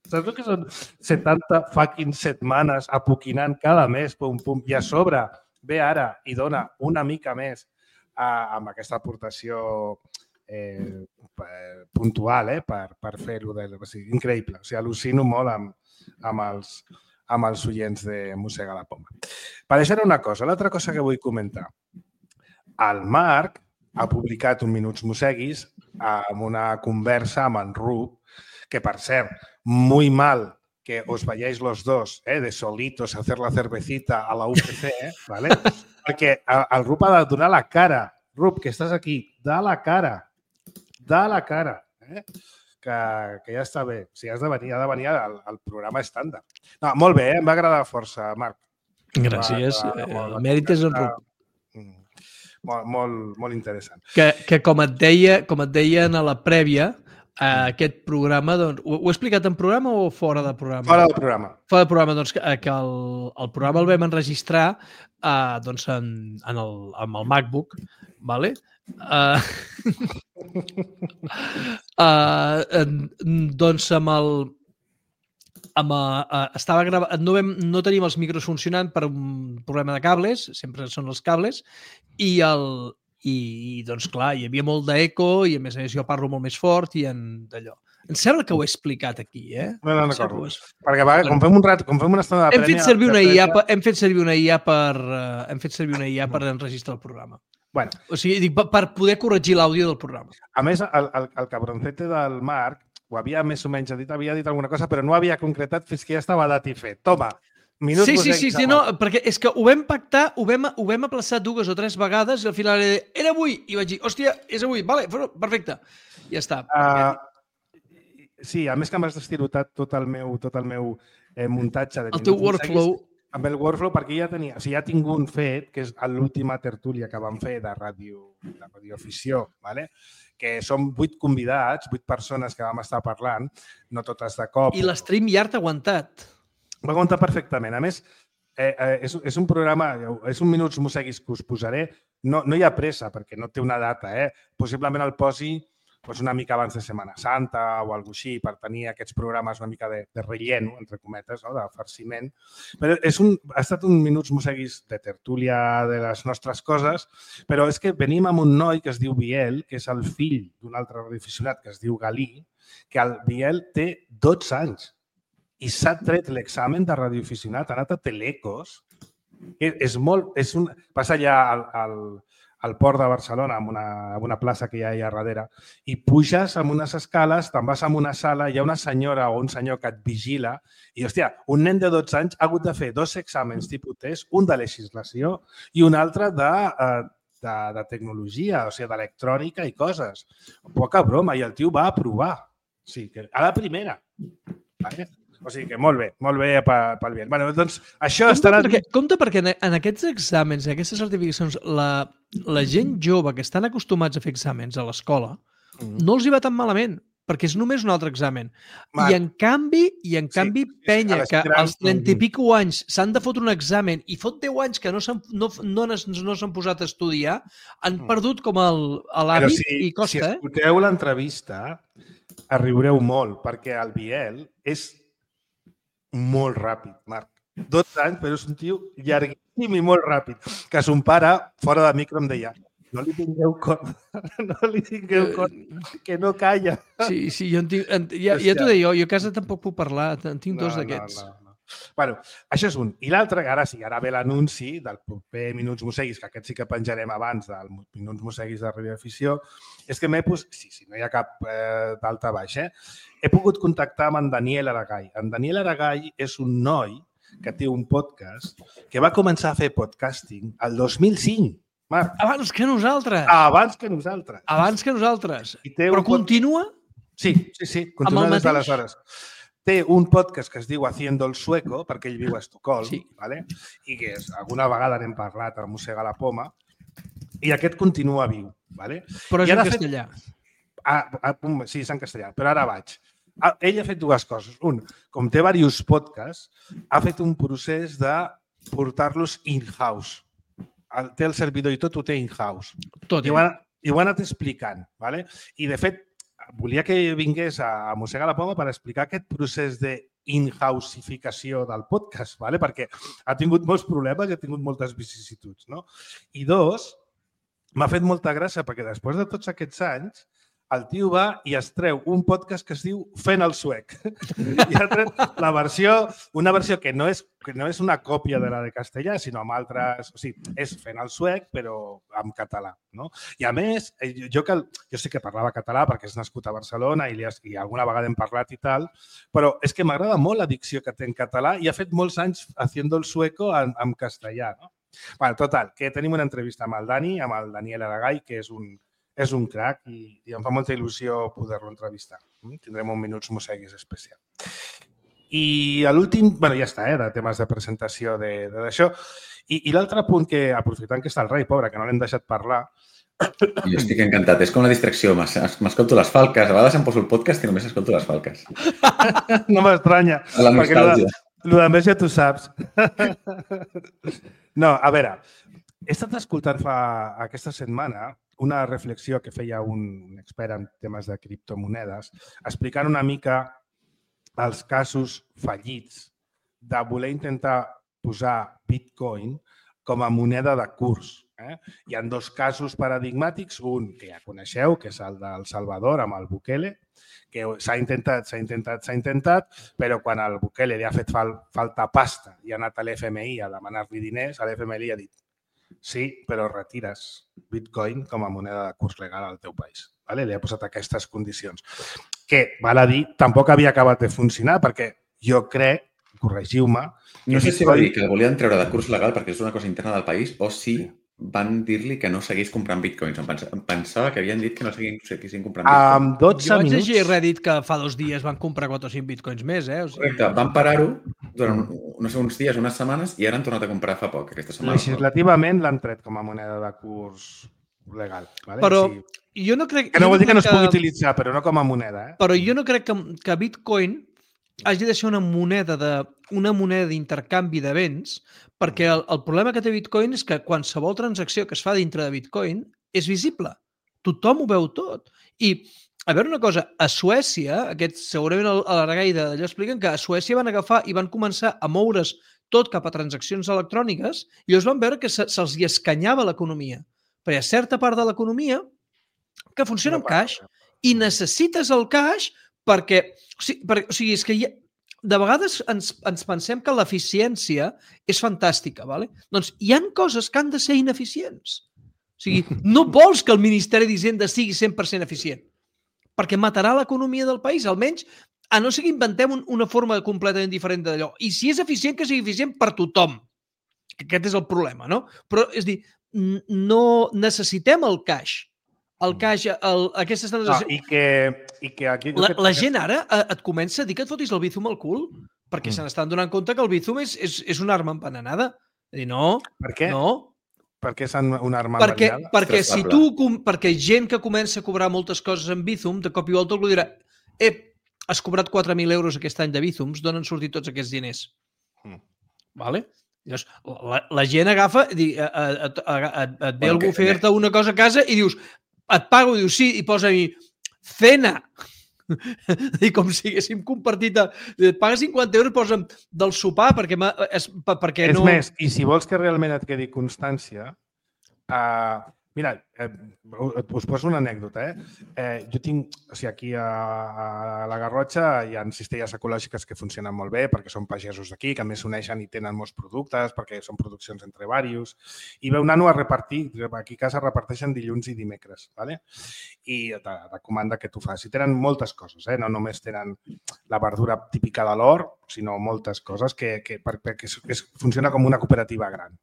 Saps el que són 70 fucking setmanes apoquinant cada mes, i a sobre ve ara i dona una mica més amb aquesta aportació puntual per fer-ho. Increïble. Al·lucino molt amb els oients de Mossega la Poma. Per això era una cosa. L'altra cosa que vull comentar. El Marc ha publicat un Minuts Mosseguis amb una conversa amb en Rup, que, per cert, muy mal que os vayáis los dos de solitos a hacer la cervecita a la UPC, ¿vale? Perquè el Rup ha de donar la cara. Rup, que estàs aquí, da la cara. de la cara, que ja està bé. O sigui, ha de venir al programa estàndard. No, molt bé, em va agradar força, Marc. Gràcies. El mèrit és en Ruc. Molt interessant. Que com et deien a la prèvia, aquest programa, doncs, ho he explicat en programa o fora de programa? Fora del programa. Fora del programa, doncs, que el programa el vam enregistrar doncs, amb el MacBook, ¿vale? Doncs estava gravat, no tenim els micros funcionant per un problema de cables, sempre són els cables, i doncs clar, hi havia molt d'eco i a més jo parlo molt més fort i d'allò. Em sembla que ho he explicat aquí, No recordo. Perquè quan fem una estona de prèmia... Hem fet servir una IA per enregistrar el programa. Bueno. O sigui, per poder corregir l'àudio del programa. A més, el cabroncete del Marc ho havia més o menys dit, havia dit alguna cosa, però no havia concretat fins que ja estava dat i fet. Toma, minuts... Sí, no, perquè és que ho vam pactar, ho vam aplaçar 2 o 3 vegades i al final era avui. I vaig dir, hòstia, és avui, vale, perfecte. Ja està. Sí, a més que m'has destirotat tot el meu muntatge de el teu workflow. Amb el workflow, perquè ja tinc un fet, que és l'última tertúlia que vam fer de radioafició, ¿vale? Que són 8 convidats, 8 persones que vam estar parlant, no totes de cop. I l'StreamYard ha aguantat. Va aguantar perfectament. A més, és un programa, és un Minuts Mosseguis que us posaré. No hi ha pressa, perquè no té una data. Possiblement el posi una mica abans de Setmana Santa o alguna cosa així, per tenir aquests programes una mica de relleno, entre cometes, de farciment. Però ha estat un Minuts Mosseguis de tertúlia de les nostres coses, però és que venim amb un noi que es diu Biel, que és el fill d'un altre radioaficionat que es diu Galí, que el Biel té 12 anys i s'ha tret l'examen de radioaficionat, ha anat a Telecos. Passa allà al port de Barcelona, amb una plaça que hi ha allà darrere, i puges amb unes escales, te'n vas a una sala, hi ha una senyora o un senyor que et vigila i, hòstia, un nen de 12 anys ha hagut de fer 2 exàmens tipus test, un de legislació i un altre de tecnologia, o sigui, d'electrònica i coses. Poca broma, i el tio va aprovar. O sigui, a la primera. O sigui que molt bé pel Biel. Bé, doncs això estarà... Compte perquè en aquests exàmens, en aquestes certificacions, la gent jove que estan acostumats a fer exàmens a l'escola no els hi va tan malament, perquè és només un altre examen. I en canvi, penya, que als 30 i pico anys s'han de fotre un examen i fot 10 anys que no s'han posat a estudiar, han perdut com l'hàbit i costa. Si escolteu l'entrevista, riureu molt, perquè el Biel és molt ràpid, Marc. 12 anys, però és un tio llarguíssim i molt ràpid. Que son pare, fora de micro, em deia no li tingueu compte, que no calla. Sí, ja t'ho deia, jo a casa tampoc puc parlar, en tinc 2 d'aquests. Bueno, això és un. I l'altre, ara ve l'anunci del proper Minuts Mosseguis, que aquest sí que penjarem abans del Minuts Mosseguis de radioafició, és que si no hi ha cap d'alta baix, he pogut contactar amb en Daniel Aragall. En Daniel Aragall és un noi que té un podcast que va començar a fer podcasting el 2005, Marc. Abans que nosaltres. Però continua? Sí, continua des d'aleshores. Té un podcast que es diu Haciendo el Sueco, perquè ell viu a Estocolm, i que alguna vegada n'hem parlat a Mossega la Poma, i aquest continua viu. Però és en castellà. Sí, és en castellà, però ara vaig. Ell ha fet 2 coses. Un, com té diversos podcasts, ha fet un procés de portar-los in-house. Té el servidor i tot ho té in-house. I ho ha anat explicant. I, de fet, volia que vingués a Mossega la Poma per explicar aquest procés d'in-houseificació del podcast, perquè ha tingut molts problemes i ha tingut moltes vicissituds. I 2, m'ha fet molta gràcia perquè després de tots aquests anys el tio va i es treu un podcast que es diu Fent el suec. I ha tret una versió que no és una còpia de la de castellà, sinó amb altres... O sigui, és Fent el suec, però en català. I a més, jo sí que parlava català perquè és nascut a Barcelona i alguna vegada hem parlat i tal, però és que m'agrada molt la dicció que té en català i ha fet molts anys Haciendo el Sueco en castellà. Total, que tenim una entrevista amb el Dani, amb el Daniel Aragall, que és és un crac i em fa molta il·lusió poder-lo entrevistar. Tindrem un Minuts Mosseguis especial. I l'últim, ja està, de temes de presentació d'això. I l'altre punt que, aprofitant que està el rei, pobre, que no l'hem deixat parlar... Jo estic encantat, és com la distracció. M'escolto les falques, a vegades em poso el podcast i només escolto les falques. No m'estranya. La nostàlgia. El de més ja tu saps. No, a veure, he estat escoltant aquesta setmana una reflexió que feia un expert en temes de criptomonedes explicant una mica els casos fallits de voler intentar posar Bitcoin com a moneda de curs. Hi ha dos casos paradigmàtics, un que ja coneixeu, que és el del Salvador amb el Bukele, que s'ha intentat, però quan el Bukele li ha fet falta pasta i ha anat a l'FMI a demanar-li diners, l'FMI li ha dit sí, però retires Bitcoin com a moneda de curs legal al teu país. Li ha posat aquestes condicions. Que, val a dir, tampoc havia acabat de funcionar perquè jo crec, corregiu-me... No sé si va dir que el volien treure de curs legal perquè és una cosa interna del país o si van dir-li que no seguís comprant bitcoins. Em pensava que havien dit que no seguissin comprant bitcoins. Jo vaig llegir a Reddit que fa 2 dies van comprar 4 o 5 bitcoins més. Correcte, van parar-ho durant uns dies, unes setmanes i ara han tornat a comprar fa poc, aquesta setmana. Legislativament l'han tret com a moneda de curs legal. Però jo no crec... Que no vol dir que no es pugui utilitzar, però no com a moneda. Però jo no crec que Bitcoin hagi de ser una moneda d'intercanvi de béns, perquè el problema que té Bitcoin és que qualsevol transacció que es fa dintre de Bitcoin és visible. Tothom ho veu tot. I, a veure una cosa, a Suècia, segurament a l'Argai d'allò expliquen que a Suècia van agafar i van començar a moure's tot cap a transaccions electròniques i llavors van veure que se'ls hi escanyava l'economia. Però hi ha certa part de l'economia que funciona amb cash i necessites el cash perquè... O sigui, és que de vegades ens pensem que l'eficiència és fantàstica, ¿vale? Doncs hi ha coses que han de ser ineficients. O sigui, no vols que el Ministeri d'Hisenda sigui 100% eficient perquè matarà l'economia del país, almenys a no ser que inventem una forma completament diferent d'allò. I si és eficient, que sigui eficient per tothom. Aquest és el problema, no? Però, és a dir, no necessitem el cash. El cash, aquestes transaccions... I que aquí... La gent ara et comença a dir que et fotis el Bizum al cul perquè se n'estan donant compte que el Bizum és una arma envenenada. És a dir, no. Per què? No. Per què és una arma envenenada? Perquè gent que comença a cobrar moltes coses en Bizum, de cop i volta algú dirà has cobrat 4.000 euros aquest any de Bizums, d'on han sortit tots aquests diners? Vale? Llavors, la gent agafa, et ve algú a fer-te una cosa a casa i dius, et pago, dius sí, i posa-hi cena. I com si haguéssim compartit, et paga 50 euros, posa'm del sopar perquè no... És més, i si vols que realment et quedi constància, mira, us poso una anècdota. Jo tinc, o sigui, aquí a la Garrotxa hi ha cistelles ecològiques que funcionen molt bé perquè són pagesos d'aquí, que a més s'uneixen i tenen molts productes perquè són produccions entre diversos. I veu nano a repartir, aquí a casa reparteixen dilluns i dimecres, i de comanda que tu fas. I tenen moltes coses, no només tenen la verdura típica de l'hort, sinó moltes coses que funciona com una cooperativa gran.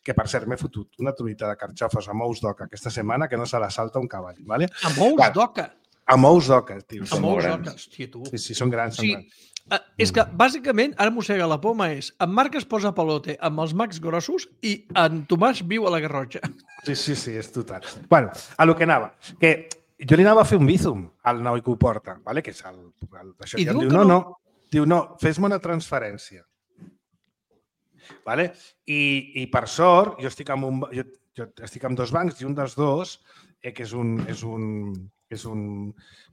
Que, per cert, m'he fotut una truita de carxofes amb ous d'oca aquesta setmana que no se la salta un cavall. Amb ous d'oca? Amb ous d'oca, tio. Amb ous d'oca, hòstia, tu. Sí, són grans. És que, bàsicament, ara mossega la poma en Marc es posa pelote amb els macs grossos i en Tomàs viu a la Garrotxa. Sí, és total. Bueno, a lo que anava, que jo li anava a fer un Bizum al noi que ho porta, que és això. I em diu, no, fes-me una transferència. I per sort, jo estic amb 2 bancs i un dels dos, que és un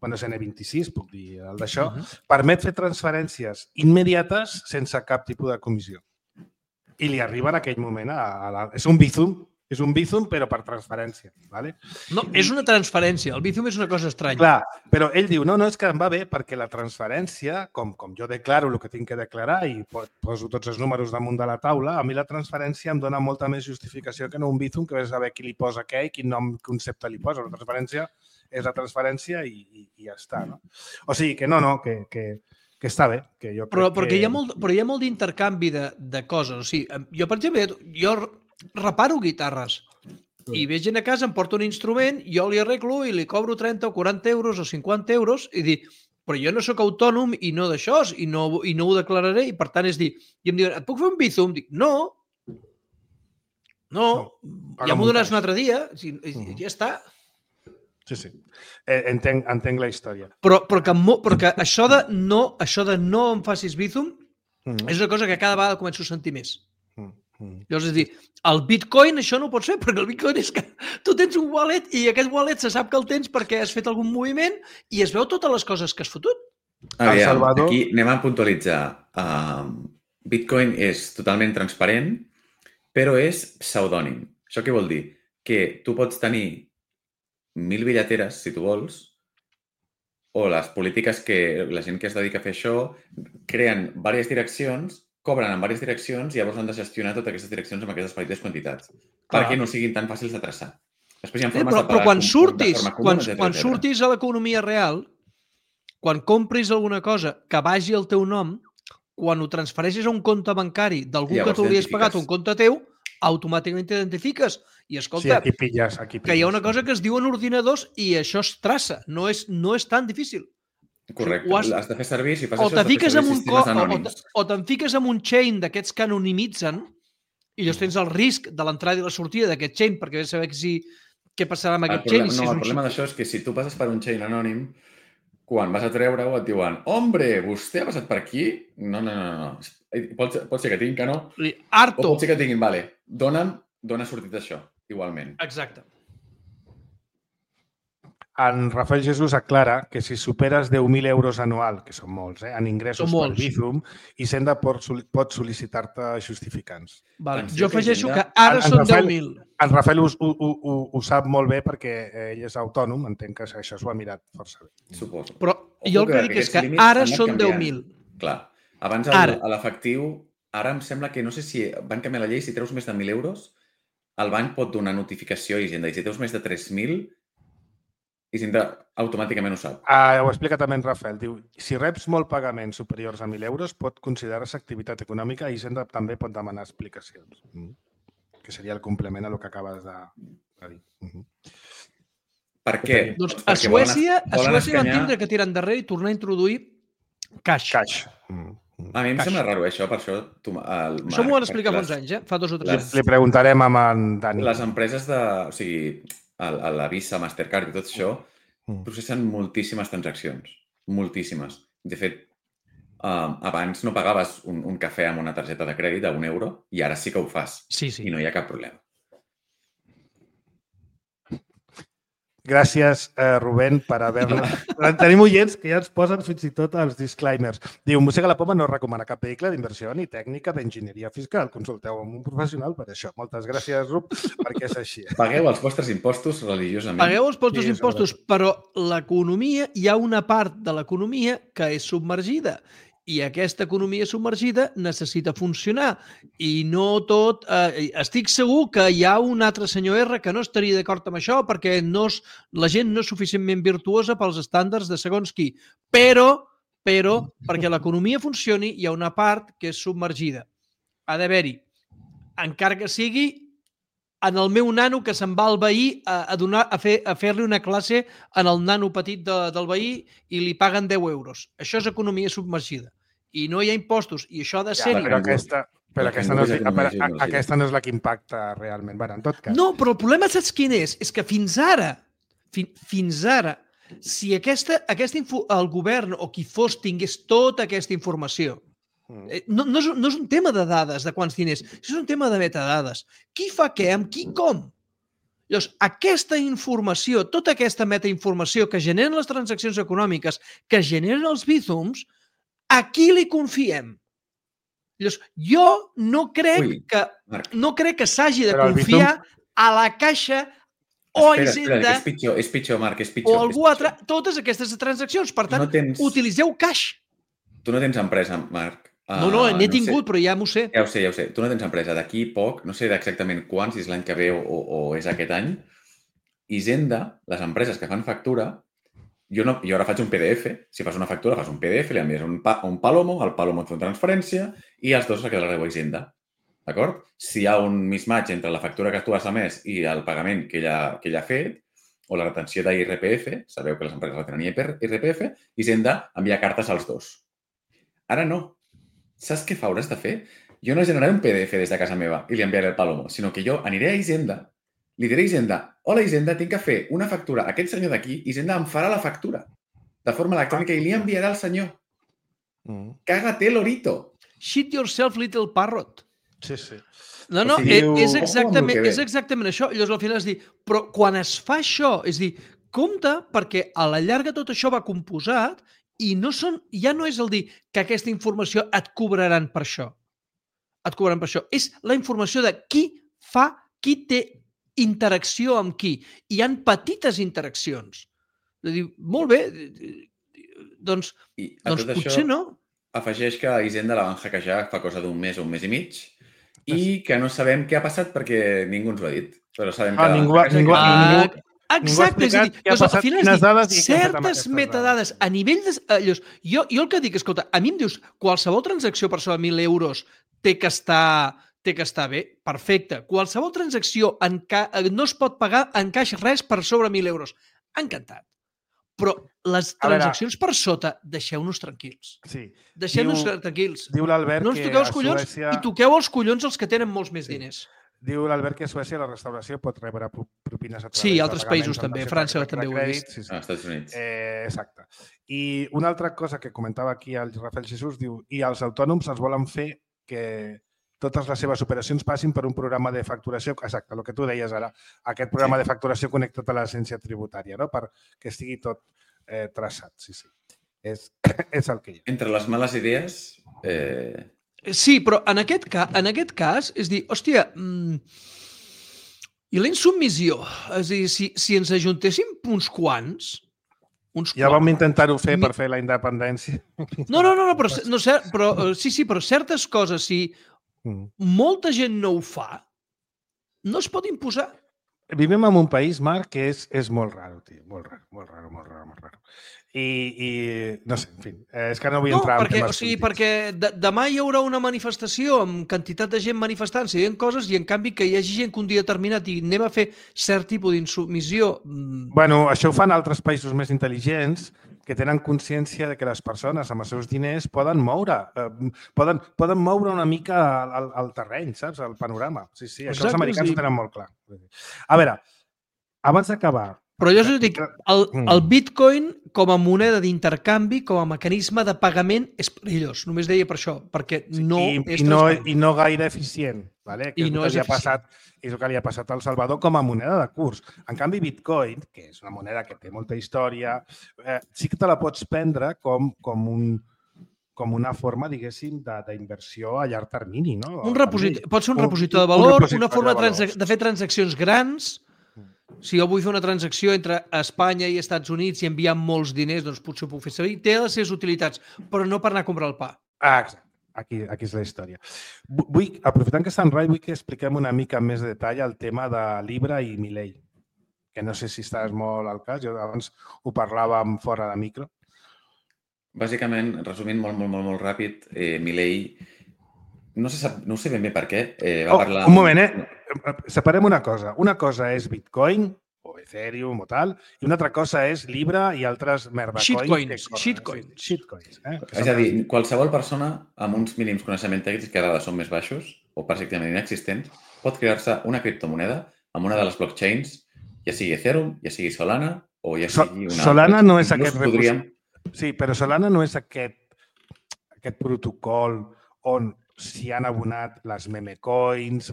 N26, puc dir, el d'això, permet fer transferències immediates sense cap tipus de comissió. I li arriba en aquell moment és un Bizum, però per transferència. No, és una transferència. El Bizum és una cosa estranya. Clar, però ell diu, no, és que em va bé perquè la transferència, com jo declaro el que tinc que declarar i poso tots els números damunt de la taula, a mi la transferència em dona molta més justificació que no un Bizum, que ves a saber qui li posa què i quin nom concepte li posa. La transferència és la transferència i ja està. O sigui que que està bé. Que jo crec però hi ha molt d'intercanvi de coses. O sigui, jo, per exemple, reparo guitarres I ve gent a casa, em porta un instrument, jo li arreglo i li cobro 30 o 40 euros o 50 euros i dic, però jo no sóc autònom i no d'això, i no ho declararé, i per tant és dir, i em diuen, et puc fer un Bizum? Dic, no, ja m'ho donaràs un altre dia, i ja està. Sí. Entenc la història. Però que això de no em facis Bizum és una cosa que cada vegada començo a sentir més. Llavors, és dir, el Bitcoin això no ho pots fer, perquè el Bitcoin és que tu tens un wallet i aquest wallet se sap que el tens perquè has fet algun moviment i es veu totes les coses que has fotut. Aquí anem a puntualitzar. Bitcoin és totalment transparent, però és pseudònim. Això què vol dir? Que tu pots tenir 1000 billeteres, si tu vols, o les polítiques que la gent que es dedica a fer això creen diverses direccions, cobren en diverses direccions i llavors han de gestionar totes aquestes direccions amb aquestes petites quantitats perquè no siguin tan fàcils de traçar. Després hi ha formes de pagar quan surtis a l'economia real, quan compris alguna cosa que vagi al teu nom, quan ho transfereixis a un compte bancari d'algú que tu li has pagat un compte teu, automàticament t'identifiques. I escolta, aquí pilles. Que hi ha una cosa que es diu en ordinadors i això es traça, no és tan difícil. Correcte, has de fer servir, si fas o això, has de fer servir sistemes anònims. O te'n fiques en un chain d'aquests que anonimitzen i llavors tens el risc de l'entrada i la sortida d'aquest chain perquè has de saber què passarà amb aquest chain. No, el problema d'això és que si tu passes per un chain anònim, quan vas a treure-ho et diuen «Hombre, vostè ha passat per aquí?» No. Pot ser que tinguin que no. Harto. O pot ser que tinguin, vale, dona sortit d'això, igualment. Exacte. En Rafael Jesús aclara que si superes 10.000 euros anual, que són molts, en ingressos per Bizum, Hisenda pot sol·licitar-te justificants. Jo afegeixo que ara són 10.000. En Rafael ho sap molt bé perquè ell és autònom, entenc que això s'ho ha mirat força bé. Suposo. Però jo el que dic és que ara són 10.000. Clar. Abans a l'efectiu, ara em sembla que no sé si van canviar la llei, si treus més de 1.000 euros, el banc pot donar notificació a Hisenda. I si treus més de 3.000, Hisenda automàticament ho sap. Ho explica també en Rafael. Diu, si reps molt pagaments superiors a 1.000 euros, pot considerar-se activitat econòmica i Hisenda també pot demanar explicacions. Que seria el complement a el que acabes de dir. Per què? Doncs a Suècia van tindre que tirar endarrere i tornar a introduir cash. A mi em sembla raro això, per això... Això m'ho van explicar fa uns anys, fa 2 o 3 anys. Li preguntarem a en Dani. Les empreses o sigui, la Visa, Mastercard i tot això processen moltíssimes transaccions. Moltíssimes. De fet, abans no pagaves un cafè amb una targeta de crèdit a €1 i ara sí que ho fas. Sí. I no hi ha cap problema. Gràcies, Rubén, per haver-la... Tenim oients que ja ens posen fins i tot els disclaimers. Diu, Mossega la Poma no recomana cap vehicle d'inversió ni tècnica d'enginyeria fiscal. Consulteu amb un professional per això. Moltes gràcies, Rub, perquè és així. Pagueu els vostres impostos religiosament. Pagueu els vostres impostos, però l'economia, hi ha una part de l'economia que és submergida. I aquesta economia submergida necessita funcionar. I no tot... estic segur que hi ha un altre senyor R que no estaria d'acord amb això perquè la gent no és suficientment virtuosa pels estàndards de segons qui. Però, perquè l'economia funcioni, hi ha una part que és submergida. Ha d'haver-hi, encara que sigui en el meu nano que se'n va al veí a fer-li una classe en el nano petit del veí i li paguen 10 euros. Això és economia submergida. I no hi ha impostos. I això ha de ser-hi. Però aquesta no és la que impacta realment. Bueno, en tot cas. No, però el problema saps quin és? És que fins ara, si el govern o qui fos tingués tota aquesta informació, no és un tema de dades, de quants diners, és un tema de metadades. Qui fa què, amb qui, com? Llavors, aquesta informació, tota aquesta metainformació que generen les transaccions econòmiques, que generen els Bizums, a qui li confiem? Llavors, jo no crec que s'hagi de confiar a la Caixa o a Hisenda és pitjor, Marc, és pitjor. O algú altre, totes aquestes transaccions. Per tant, utilitzeu cash. Tu no tens empresa, Marc. No, n'he tingut, però ja m'ho sé. Ja ho sé. Tu no tens empresa. D'aquí poc, no sé exactament quan, si és l'any que ve o és aquest any, Hisenda, les empreses que fan factura, jo ara faig un PDF, si fas una factura, fas un PDF, li envies un Palomo, el Palomo et fa una transferència i els dos se quedareu a Hisenda. d'acord? Si hi ha un mismatch entre la factura que tu has emès i el pagament que ella ha fet, o la retenció d'IRPF, sabeu que les empreses retenen IRPF, Hisenda envia cartes als dos. Ara no. Saps què hauràs de fer? Jo no generaré un PDF des de casa meva i li enviaré el Palomo, sinó que jo aniré a Hisenda, li diré a Hisenda, hola Hisenda, tinc que fer una factura a aquest senyor d'aquí, Hisenda em farà la factura de forma electrònica i li enviarà al senyor. Cágate, lorito. Shit yourself, little parrot. Sí, sí. No, O sigui, és exactament això. Llavors, al final és dir, però quan es fa això, és dir, compte perquè a la llarga tot això va composat i ja no és el dir que aquesta informació et cobraran per això. Et cobraran per això. És la informació de qui té interacció amb qui. Hi han petites interaccions. És dir, molt bé, doncs potser no. Afegeix que Hisenda la van hackejar fa cosa d'un mes o un mes i mig i que no sabem què ha passat perquè ningú ens ho ha dit. Però sabem que... Ningú Exacte, és a dir, al final certes metadades a nivell de... Jo el que dic, escolta, a mi em dius qualsevol transacció per sobre 1.000 euros té que estar bé, perfecte. Qualsevol transacció no es pot pagar en caix res per sobre 1.000 euros. Encantat. Però les transaccions per sota, deixeu-nos tranquils. Sí. Deixeu-nos tranquils. Diu l'Albert no ens toqueu els collons i toqueu els collons els que tenen molts més diners. Diu l'Albert que a Suècia la restauració pot rebre propines a través sí, altres països també. França també ho ha vist. Sí. Als Estats Units. Exacte. I una altra cosa que comentava aquí el Rafael Jesús, diu, i els autònoms els volen fer que totes les seves operacions passin per un programa de facturació, exacte, el que tu deies ara, aquest programa de facturació connectat a l'agència tributària, no? Perquè estigui tot traçat, sí. És el que hi ha. Entre les males idees... Sí, però en aquest cas, és dir, hòstia, i la insubmissió? És dir, si ens ajuntéssim uns quants... Ja vam intentar-ho fer per fer la independència. No, però certes coses, si molta gent no ho fa, no es pot imposar. Vivim en un país, Marc, que és molt raro, tio. Molt raro. I no sé, en fi, és que no vull entrar en temes polítics. Perquè demà hi haurà una manifestació amb quantitat de gent manifestant-se i dient coses i en canvi que hi hagi gent que un dia determinat i anem a fer cert tipus d'insubmissió. Bueno, això ho fan altres països més intel·ligents que tenen consciència de que les persones amb els seus diners poden moure una mica el terreny, saps? El panorama. Sí, això els americans ho tenen molt clar. A veure, abans d'acabar... Però jo us dic, el Bitcoin com a moneda d'intercanvi, com a mecanisme de pagament, és perillós. Només deia per això, perquè no és transparent. I no gaire eficient. Vale? Que és el que li ha passat al Salvador com a moneda de curs. En canvi, Bitcoin, que és una moneda que té molta història, sí que te la pots prendre com una forma, diguéssim, d'inversió a llarg termini. No? Pot ser un repositor de valor, una forma de fer transaccions grans. Si jo vull fer una transacció entre Espanya i Estats Units i enviar molts diners, doncs potser ho puc fer servir. Té les seves utilitats, però no per anar a comprar el pa. Exacte. Aquí és la història. Aprofitant que està en Rai, vull que expliquem una mica més de detall el tema de Libra i Milei, que no sé si estàs molt al cas. Jo abans ho parlàvem fora de micro. Bàsicament, resumint molt ràpid, Milei, no sé ben bé per què, va parlar... Un moment, separem una cosa. Una cosa és Bitcoin o Ethereum o tal, i una altra cosa és Libra i altres merdacoins. Shitcoins. És a dir, qualsevol persona amb uns mínims coneixements tècnics que a vegades són més baixos o pràcticament inexistents pot crear-se una criptomoneda amb una de les blockchains, ja sigui Ethereum, ja sigui Solana o ja sigui una... Solana no és aquest repositori. Sí, però Solana no és aquest protocol on s'hi han abonat les memecoins,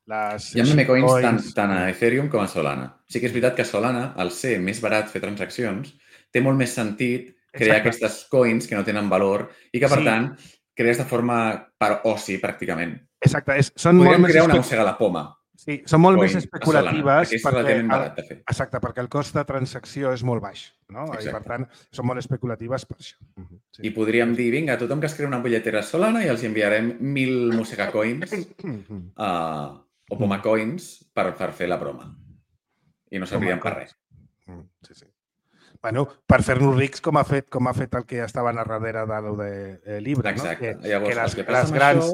Hi ha memecoins tant a Ethereum com a Solana. Sí que és veritat que Solana, al ser més barat fer transaccions, té molt més sentit crear aquestes coins que no tenen valor i que, per tant, crees de forma per oci, pràcticament. Exacte. Podríem crear una mossega a la poma. Sí, són molt més especulatives perquè el cost de transacció és molt baix, no? I per tant són molt especulatives per això. I podríem dir, vinga, tothom que es crea una bitlletera Solana i els enviarem 1.000 mossega coins o poma coins per fer la broma. I no servien per res. Sí. Bueno, per fer-nos rics com ha fet el que estava a darrere de Libra. Exacte. Llavors, les grans...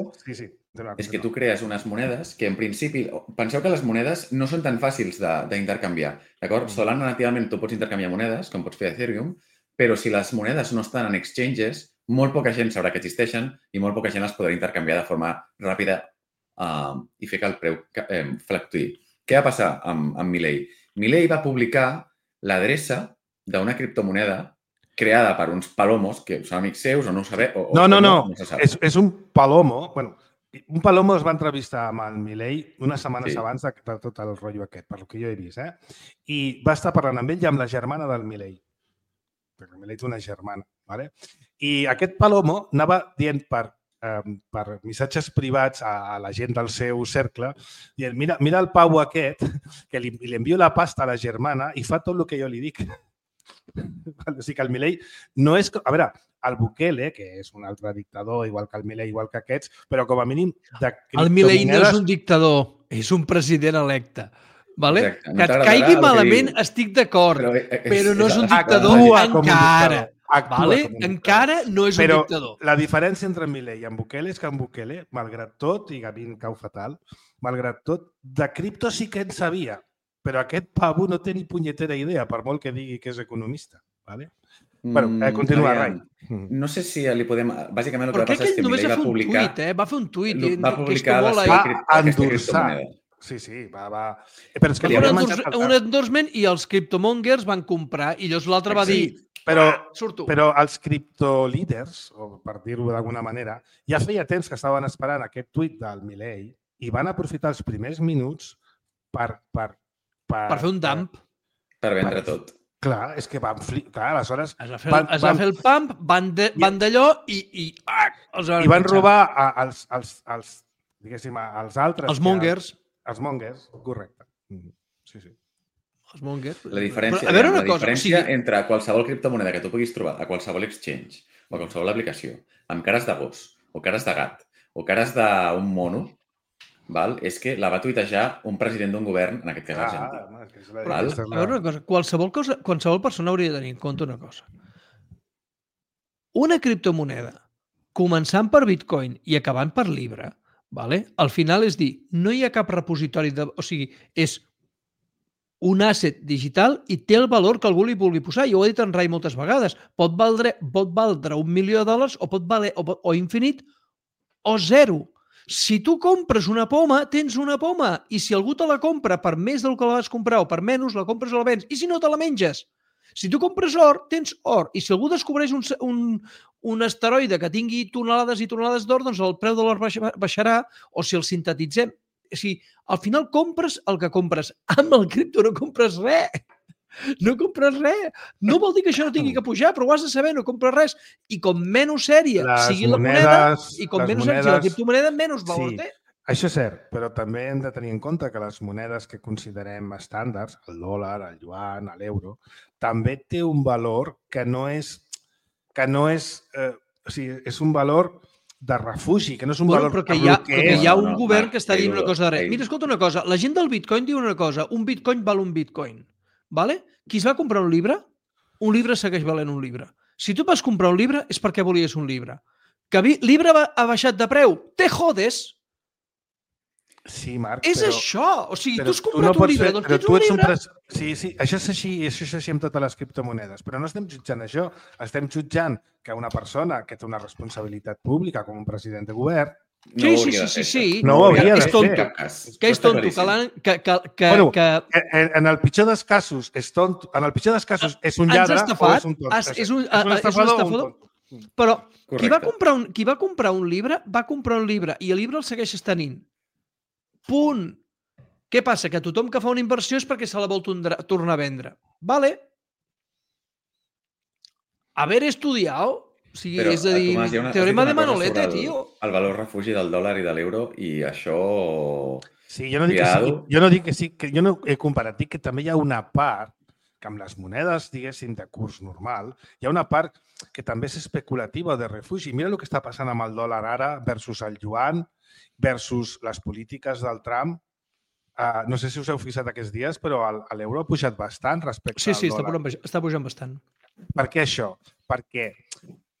és que tu crees unes monedes que, en principi, penseu que les monedes no són tan fàcils d'intercanviar, d'acord? Solana, nativament, tu pots intercanviar monedes, com pots fer Ethereum, però si les monedes no estan en exchanges, molt poca gent sabrà que existeixen i molt poca gent les podrà intercanviar de forma ràpida i fer que el preu fluctuï. Què va passar amb Milei? Milei va publicar l'adreça d'una criptomoneda creada per uns palomos, que són amics seus o no ho sabeu. No. És un palomo. Bueno, un palomo es va entrevistar amb el Milei unes setmanes abans de tot el rotllo aquest, per lo que jo he vist. I va estar parlant amb ell i amb la germana del Milei. Perquè el Milei té una germana. ¿Vale? I aquest palomo anava dient per missatges privats a la gent del seu cercle, dient, mira el pavo aquest, que li envio la pasta a la germana i fa tot el que jo li dic. O sigui que el Milei no és... A veure, el Bukele, que és un altre dictador, igual que el Milei, igual que aquests, però com a mínim de criptomonedes... El Milei no és un dictador, és un president electe. Vale? Que et caigui malament estic d'acord, però no és un dictador encara. Vale? Encara no és un dictador. Però la diferència entre Milei i en Bukele és que en Bukele, malgrat tot, i a mi em cau fatal, malgrat tot, de cripto sí que en sabia, però aquest pavo no té ni punyetera idea, per molt que digui que és economista. Vale? Bueno, continua, Rai. No sé si li podem... Bàsicament el que va passar és que Milei va publicar... Va fer un tuit. Va publicar aquesta criptomoneda. Sí, va... Però és que un endorsement i els criptomongers van comprar i llavors l'altre va dir... Però els criptolíders, per dir-ho d'alguna manera, ja feia temps que estaven esperant aquest tuit del Milei i van aprofitar els primers minuts per fer un dump. Per vendre tot. Clar, és que van flipar. Aleshores... Es va fer el pump, van d'allò i van robar diguéssim, als altres... Els mongers. Els mongers, correcte. Sí. Els mongers. La diferència entre qualsevol criptomoneda que tu puguis trobar a qualsevol exchange o a qualsevol aplicació amb cares de gos o cares de gat o cares d'un mono, és que la va tuitejar un president d'un govern, en aquest cas argentí. A veure una cosa, qualsevol persona hauria de tenir en compte una cosa. Una criptomoneda, començant per Bitcoin i acabant per Libra, al final és dir, no hi ha cap repositori, o sigui, és un asset digital i té el valor que algú li vulgui posar. Jo ho he dit en Rai moltes vegades. Pot valdre $1 milió o pot valer o infinit o zero. Si tu compres una poma, tens una poma. I si algú te la compra per més del que la vas comprar o per menys, la compres o la vens. I si no, te la menges. Si tu compres or, tens or. I si algú descobreix un asteroide que tingui tonelades i tonelades d'or, doncs el preu de l'or baixarà. O si el sintetitzem. O sigui, al final compres el que compres. Amb el cripto no compres res. No compres res. No vol dir que això no tingui que pujar, però ho has de saber, no compres res. I com menys sèria sigui la moneda, i com menys sèria sigui la criptomoneda, menys valor té. Això és cert, però també hem de tenir en compte que les monedes que considerem estàndards, el dòlar, el yuan, l'euro, també té un valor que no és o sigui, és un valor de refugi, que no és un valor... Però que hi ha un govern que està dient una cosa de res. Mira, escolta una cosa, la gent del Bitcoin diu una cosa, un Bitcoin val un Bitcoin. Qui es va comprar un llibre segueix valent un llibre. Si tu vas comprar un llibre és perquè volies un llibre. Que llibre ha baixat de preu, te jodes! Sí, Marc, és això! O sigui, tu has comprat un llibre, doncs tens un llibre... Sí, això és així amb totes les criptomonedes, però no estem jutjant això. Estem jutjant que una persona que té una responsabilitat pública, com un president de govern... Sí. No ho hauria de fer. Que és tonto. En el pitjor dels casos és tonto. En el pitjor dels casos és un lladre o és un tonto. És un estafador. Però qui va comprar un llibre, va comprar un llibre i el llibre el segueixes tenint. Punt. Què passa? Que tothom que fa una inversió és perquè se la vol tornar a vendre. Vale. Haver estudiat, o sigui, és a dir, teorema de Manolete, tio. El valor refugi del dòlar i de l'euro i això... Sí, jo no dic que sí, jo no he comparat, dic que també hi ha una part que amb les monedes, diguéssim, de curs normal, hi ha una part que també és especulativa o de refugi. Mira el que està passant amb el dòlar ara versus el yuan, versus les polítiques del Trump. No sé si us heu fixat aquests dies, però l'euro ha pujat bastant respecte al dòlar. Sí, està pujant bastant. Per què això? Perquè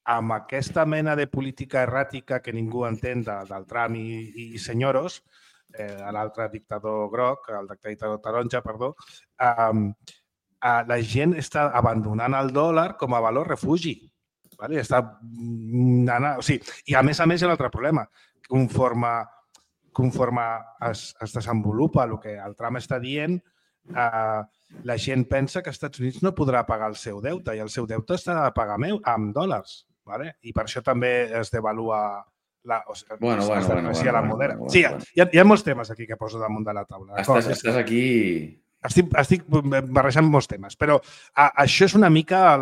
amb aquesta mena de política erràtica que ningú entén del Trump i senyoros, l'altre dictador groc, el dictador taronja, perdó, la gent està abandonant el dòlar com a valor refugi. Vale? I a més hi ha un altre problema. Conforme es desenvolupa el que el Trump està dient, la gent pensa que els Estats Units no podrà pagar el seu deute i el seu deute s'ha de pagar amb dòlars. Vale? I per això també es devalua la moneda. Sí, hi ha molts temes aquí que poso damunt de la taula. Estàs aquí... Estic barrejant molts temes, però això és una mica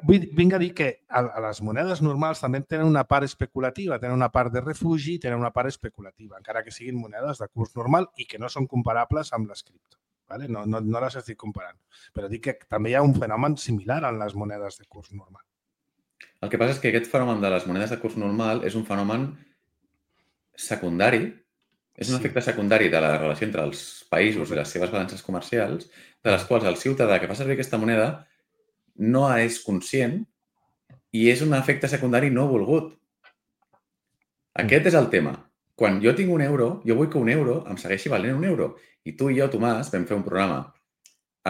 vinc a dir que les monedes normals també tenen una part especulativa, tenen una part de refugi, tenen una part especulativa, encara que siguin monedes de curs normal i que no són comparables amb les cripto. Vale? No les estic comparant, però dic que també hi ha un fenomen similar en les monedes de curs normal. El que passa és que aquest fenomen de les monedes de curs normal és un fenomen secundari, és un efecte secundari de la relació entre els països i les seves balances comercials, de les quals el ciutadà que fa servir aquesta moneda no és conscient i és un efecte secundari no volgut. Aquest és el tema. Quan jo tinc un euro, jo vull que un euro em segueixi valent un euro. I tu i jo, Tomàs, vam fer un programa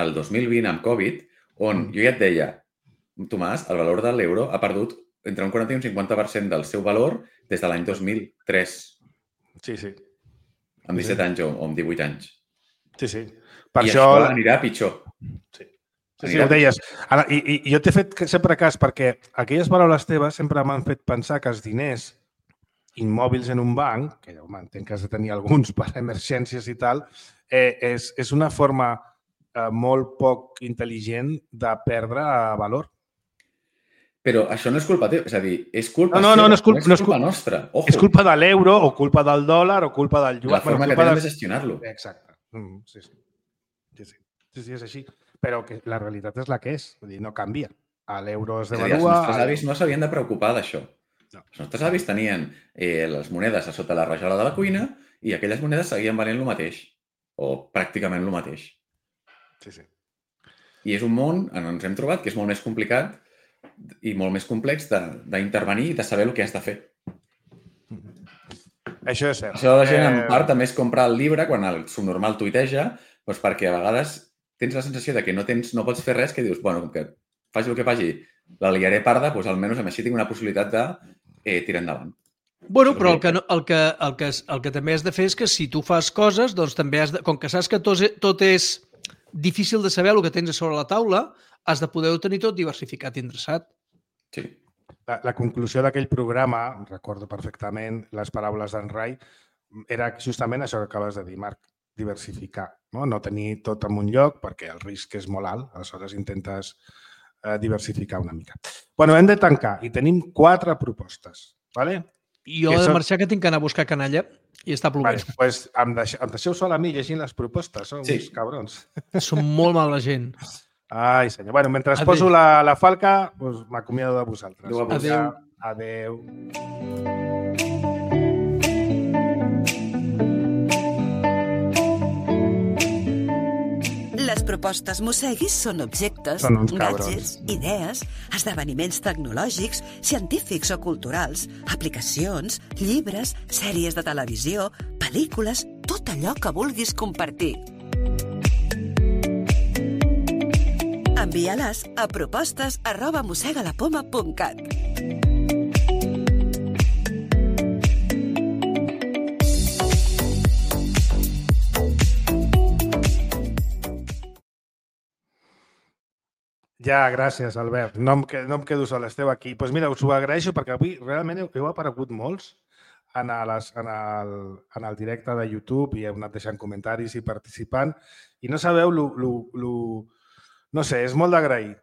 el 2020 amb Covid on jo ja et deia, Tomàs, el valor de l'euro ha perdut entre un 40 i un 50% del seu valor des de l'any 2003. Sí. Amb 17 anys o amb 18 anys. Sí. I això anirà pitjor. Sí, ho deies. I jo t'he fet sempre cas perquè aquelles paraules teves sempre m'han fet pensar que els diners immòbils en un banc, que ja entenc que has de tenir alguns per emergències i tal, és una forma molt poc intel·ligent de perdre valor. Però això no és culpa teva, és a dir, és culpa seva, no és culpa nostra. Ojo. És culpa de l'euro o culpa del dòlar o culpa del yuan. La forma que tenen de gestionar-lo. Exacte. Sí, és així. Però que la realitat és la que és. Vull dir, no canvia. L'euro es devalua... Els nostres avis no s'havien de preocupar d'això. Els nostres avis tenien les monedes a sota la rajola de la cuina i aquelles monedes seguien valent el mateix. O pràcticament el mateix. Sí. I és un món on ens hem trobat que és molt més complicat i molt més complex d'intervenir i de saber el que has de fer. Això és cert. Això la gent en part també és comprar el llibre quan el subnormal tuiteja, doncs perquè a vegades tens la sensació de que no pots fer res, que dius, bueno, com que faci el que faci, la liaré parda, doncs almenys així tinc una possibilitat de tirar endavant. Bueno, però el que també has de fer és que si tu fas coses, doncs també has de, com que saps que tot és difícil de saber el que tens a sobre la taula, has de poder-ho tenir tot diversificat i endreçat. Sí. La conclusió d'aquell programa, recordo perfectament les paraules d'en Rai, era justament això que acabes de dir, Marc, diversificar. No tenir tot en un lloc perquè el risc és molt alt, aleshores intentes diversificar una mica. Bueno, hem de tancar i tenim 4 propostes. Vale? Jo he de marxar que tinc que anar a buscar canalla i està plovent. Doncs em deixeu sol a mi llegint les propostes, són uns cabrons. Som molt mala gent. Ai, senyor. Bueno, mentre poso la falca, doncs m'acomiado de vosaltres. Adéu. Les propostes Mosseguis són objectes, gadgets, idees, esdeveniments tecnològics, científics o culturals, aplicacions, llibres, sèries de televisió, pel·lícules, tot allò que vulguis compartir. Envia-les a propostes@mossegalapoma.cat. Ja, gràcies, Albert. No em quedo sol, esteu aquí. Doncs mira, us ho agraeixo perquè avui realment heu aparegut molts en el directe de YouTube i heu anat deixant comentaris i participant i no sabeu no sé, és molt d'agrair.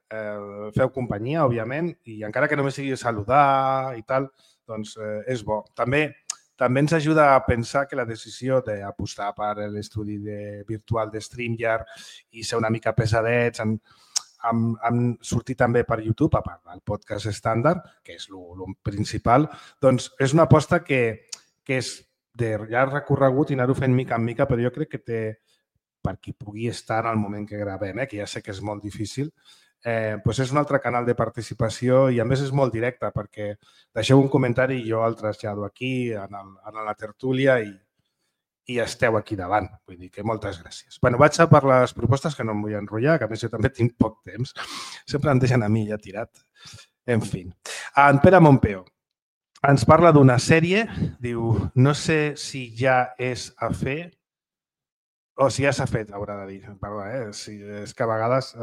Feu companyia, òbviament, i encara que només sigui saludar i tal, doncs és bo. També ens ajuda a pensar que la decisió d'apostar per l'estudi virtual de StreamYard i ser una mica pesadets han sortit també per YouTube, a part del podcast estàndard, que és el principal, doncs és una aposta que és de llarg recorregut i anar-ho fent mica en mica, però jo crec que té, per qui pugui estar en el moment que gravem, que ja sé que és molt difícil, és un altre canal de participació i a més és molt directe perquè deixeu un comentari i jo el trasllado aquí a la tertúlia i esteu aquí davant. Vull dir que moltes gràcies. Bé, vaig a per les propostes que no em vull enrotllar, que a més jo també tinc poc temps. Sempre em deixen a mi ja tirat. En fi. En Pere Montpeo ens parla d'una sèrie, diu, no sé si ja és a fer o si ja s'ha fet, haurà de dir. Perdó, és que a vegades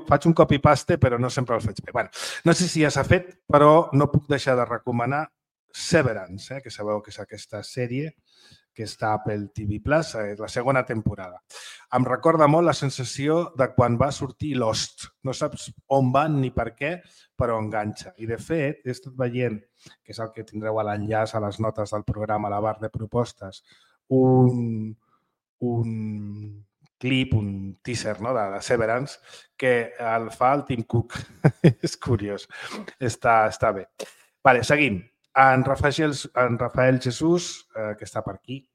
faig un copy-paste però no sempre el faig bé. Bé, no sé si ja s'ha fet, però no puc deixar de recomanar Severance, que sabeu que és aquesta sèrie que està a Apple TV+, és la segona temporada. Em recorda molt la sensació de quan va sortir Lost. No saps on van ni per què, però enganxa. I de fet, he estat veient, que és el que tindreu a l'enllaç a les notes del programa, a la barra de propostes, un clip, un teaser de Severance, que el fa el Tim Cook. És curiós. Està bé. Vale, seguim. En Rafael Jesús, que està per aquí,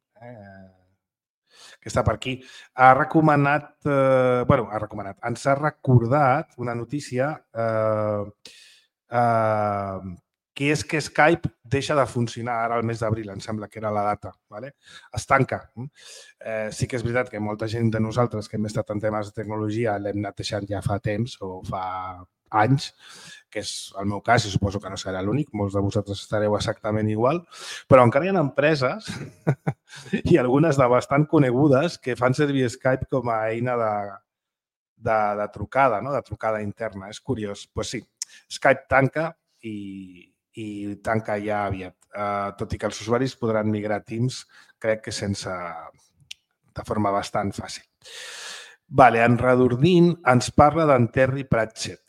ha recomanat, ens ha recordat una notícia que és que Skype deixa de funcionar ara al mes d'abril, em sembla que era la data. Es tanca. Sí que és veritat que molta gent de nosaltres que hem estat en temes de tecnologia l'hem anat deixant ja fa temps o fa anys, que és el meu cas i suposo que no serà l'únic, molts de vosaltres estareu exactament igual, però encara hi ha empreses i algunes de bastant conegudes que fan servir Skype com a eina de trucada, de trucada interna. És curiós. Doncs sí, Skype tanca i tanca ja aviat, tot i que els usuaris podran migrar a Teams, crec que de forma bastant fàcil. En Redordint ens parla d'en Terry Pratchett.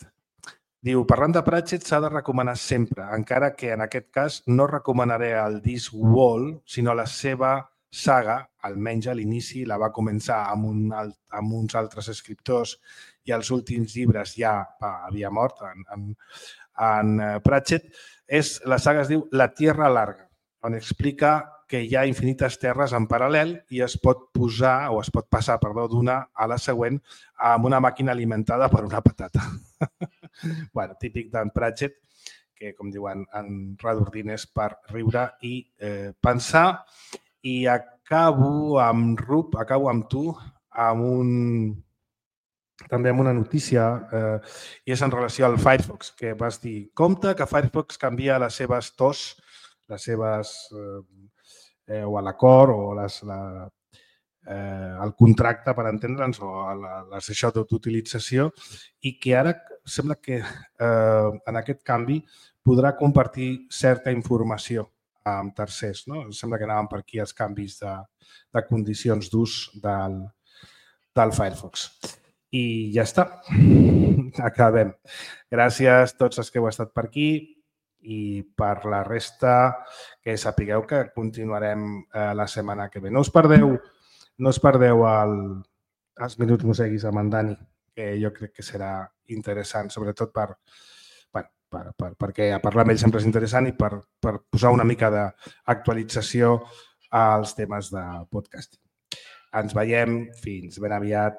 Diu, parlant de Pratchett s'ha de recomanar sempre, encara que en aquest cas no recomanaré el Discworld, sinó la seva saga, almenys a l'inici, la va començar amb uns altres escriptors i els últims llibres ja havia mort en Pratchett. La saga es diu La Tierra Larga, on explica que hi ha infinites terres en paral·lel i es pot passar d'una a la següent amb una màquina alimentada per una patata. Típic d'en Pratchett, que, com diuen, en Redordint és per riure i pensar. I acabo amb tu, també amb una notícia, i és en relació al Firefox, que vas dir, compte que Firefox canvia les seves TOS, o l'acord o el contracte, per entendre'ns, o això d'utilització, i que ara sembla que en aquest canvi podrà compartir certa informació amb tercers. Sembla que anaven per aquí els canvis de condicions d'ús del Firefox. I ja està. Acabem. Gràcies a tots els que heu estat per aquí. I per la resta, que sapigueu que continuarem la setmana que ve. No us perdeu els Minuts Moseguis amb en Dani, que jo crec que serà interessant, sobretot perquè parlar amb ell sempre és interessant i per posar una mica d'actualització als temes de podcasting. Ens veiem. Fins ben aviat.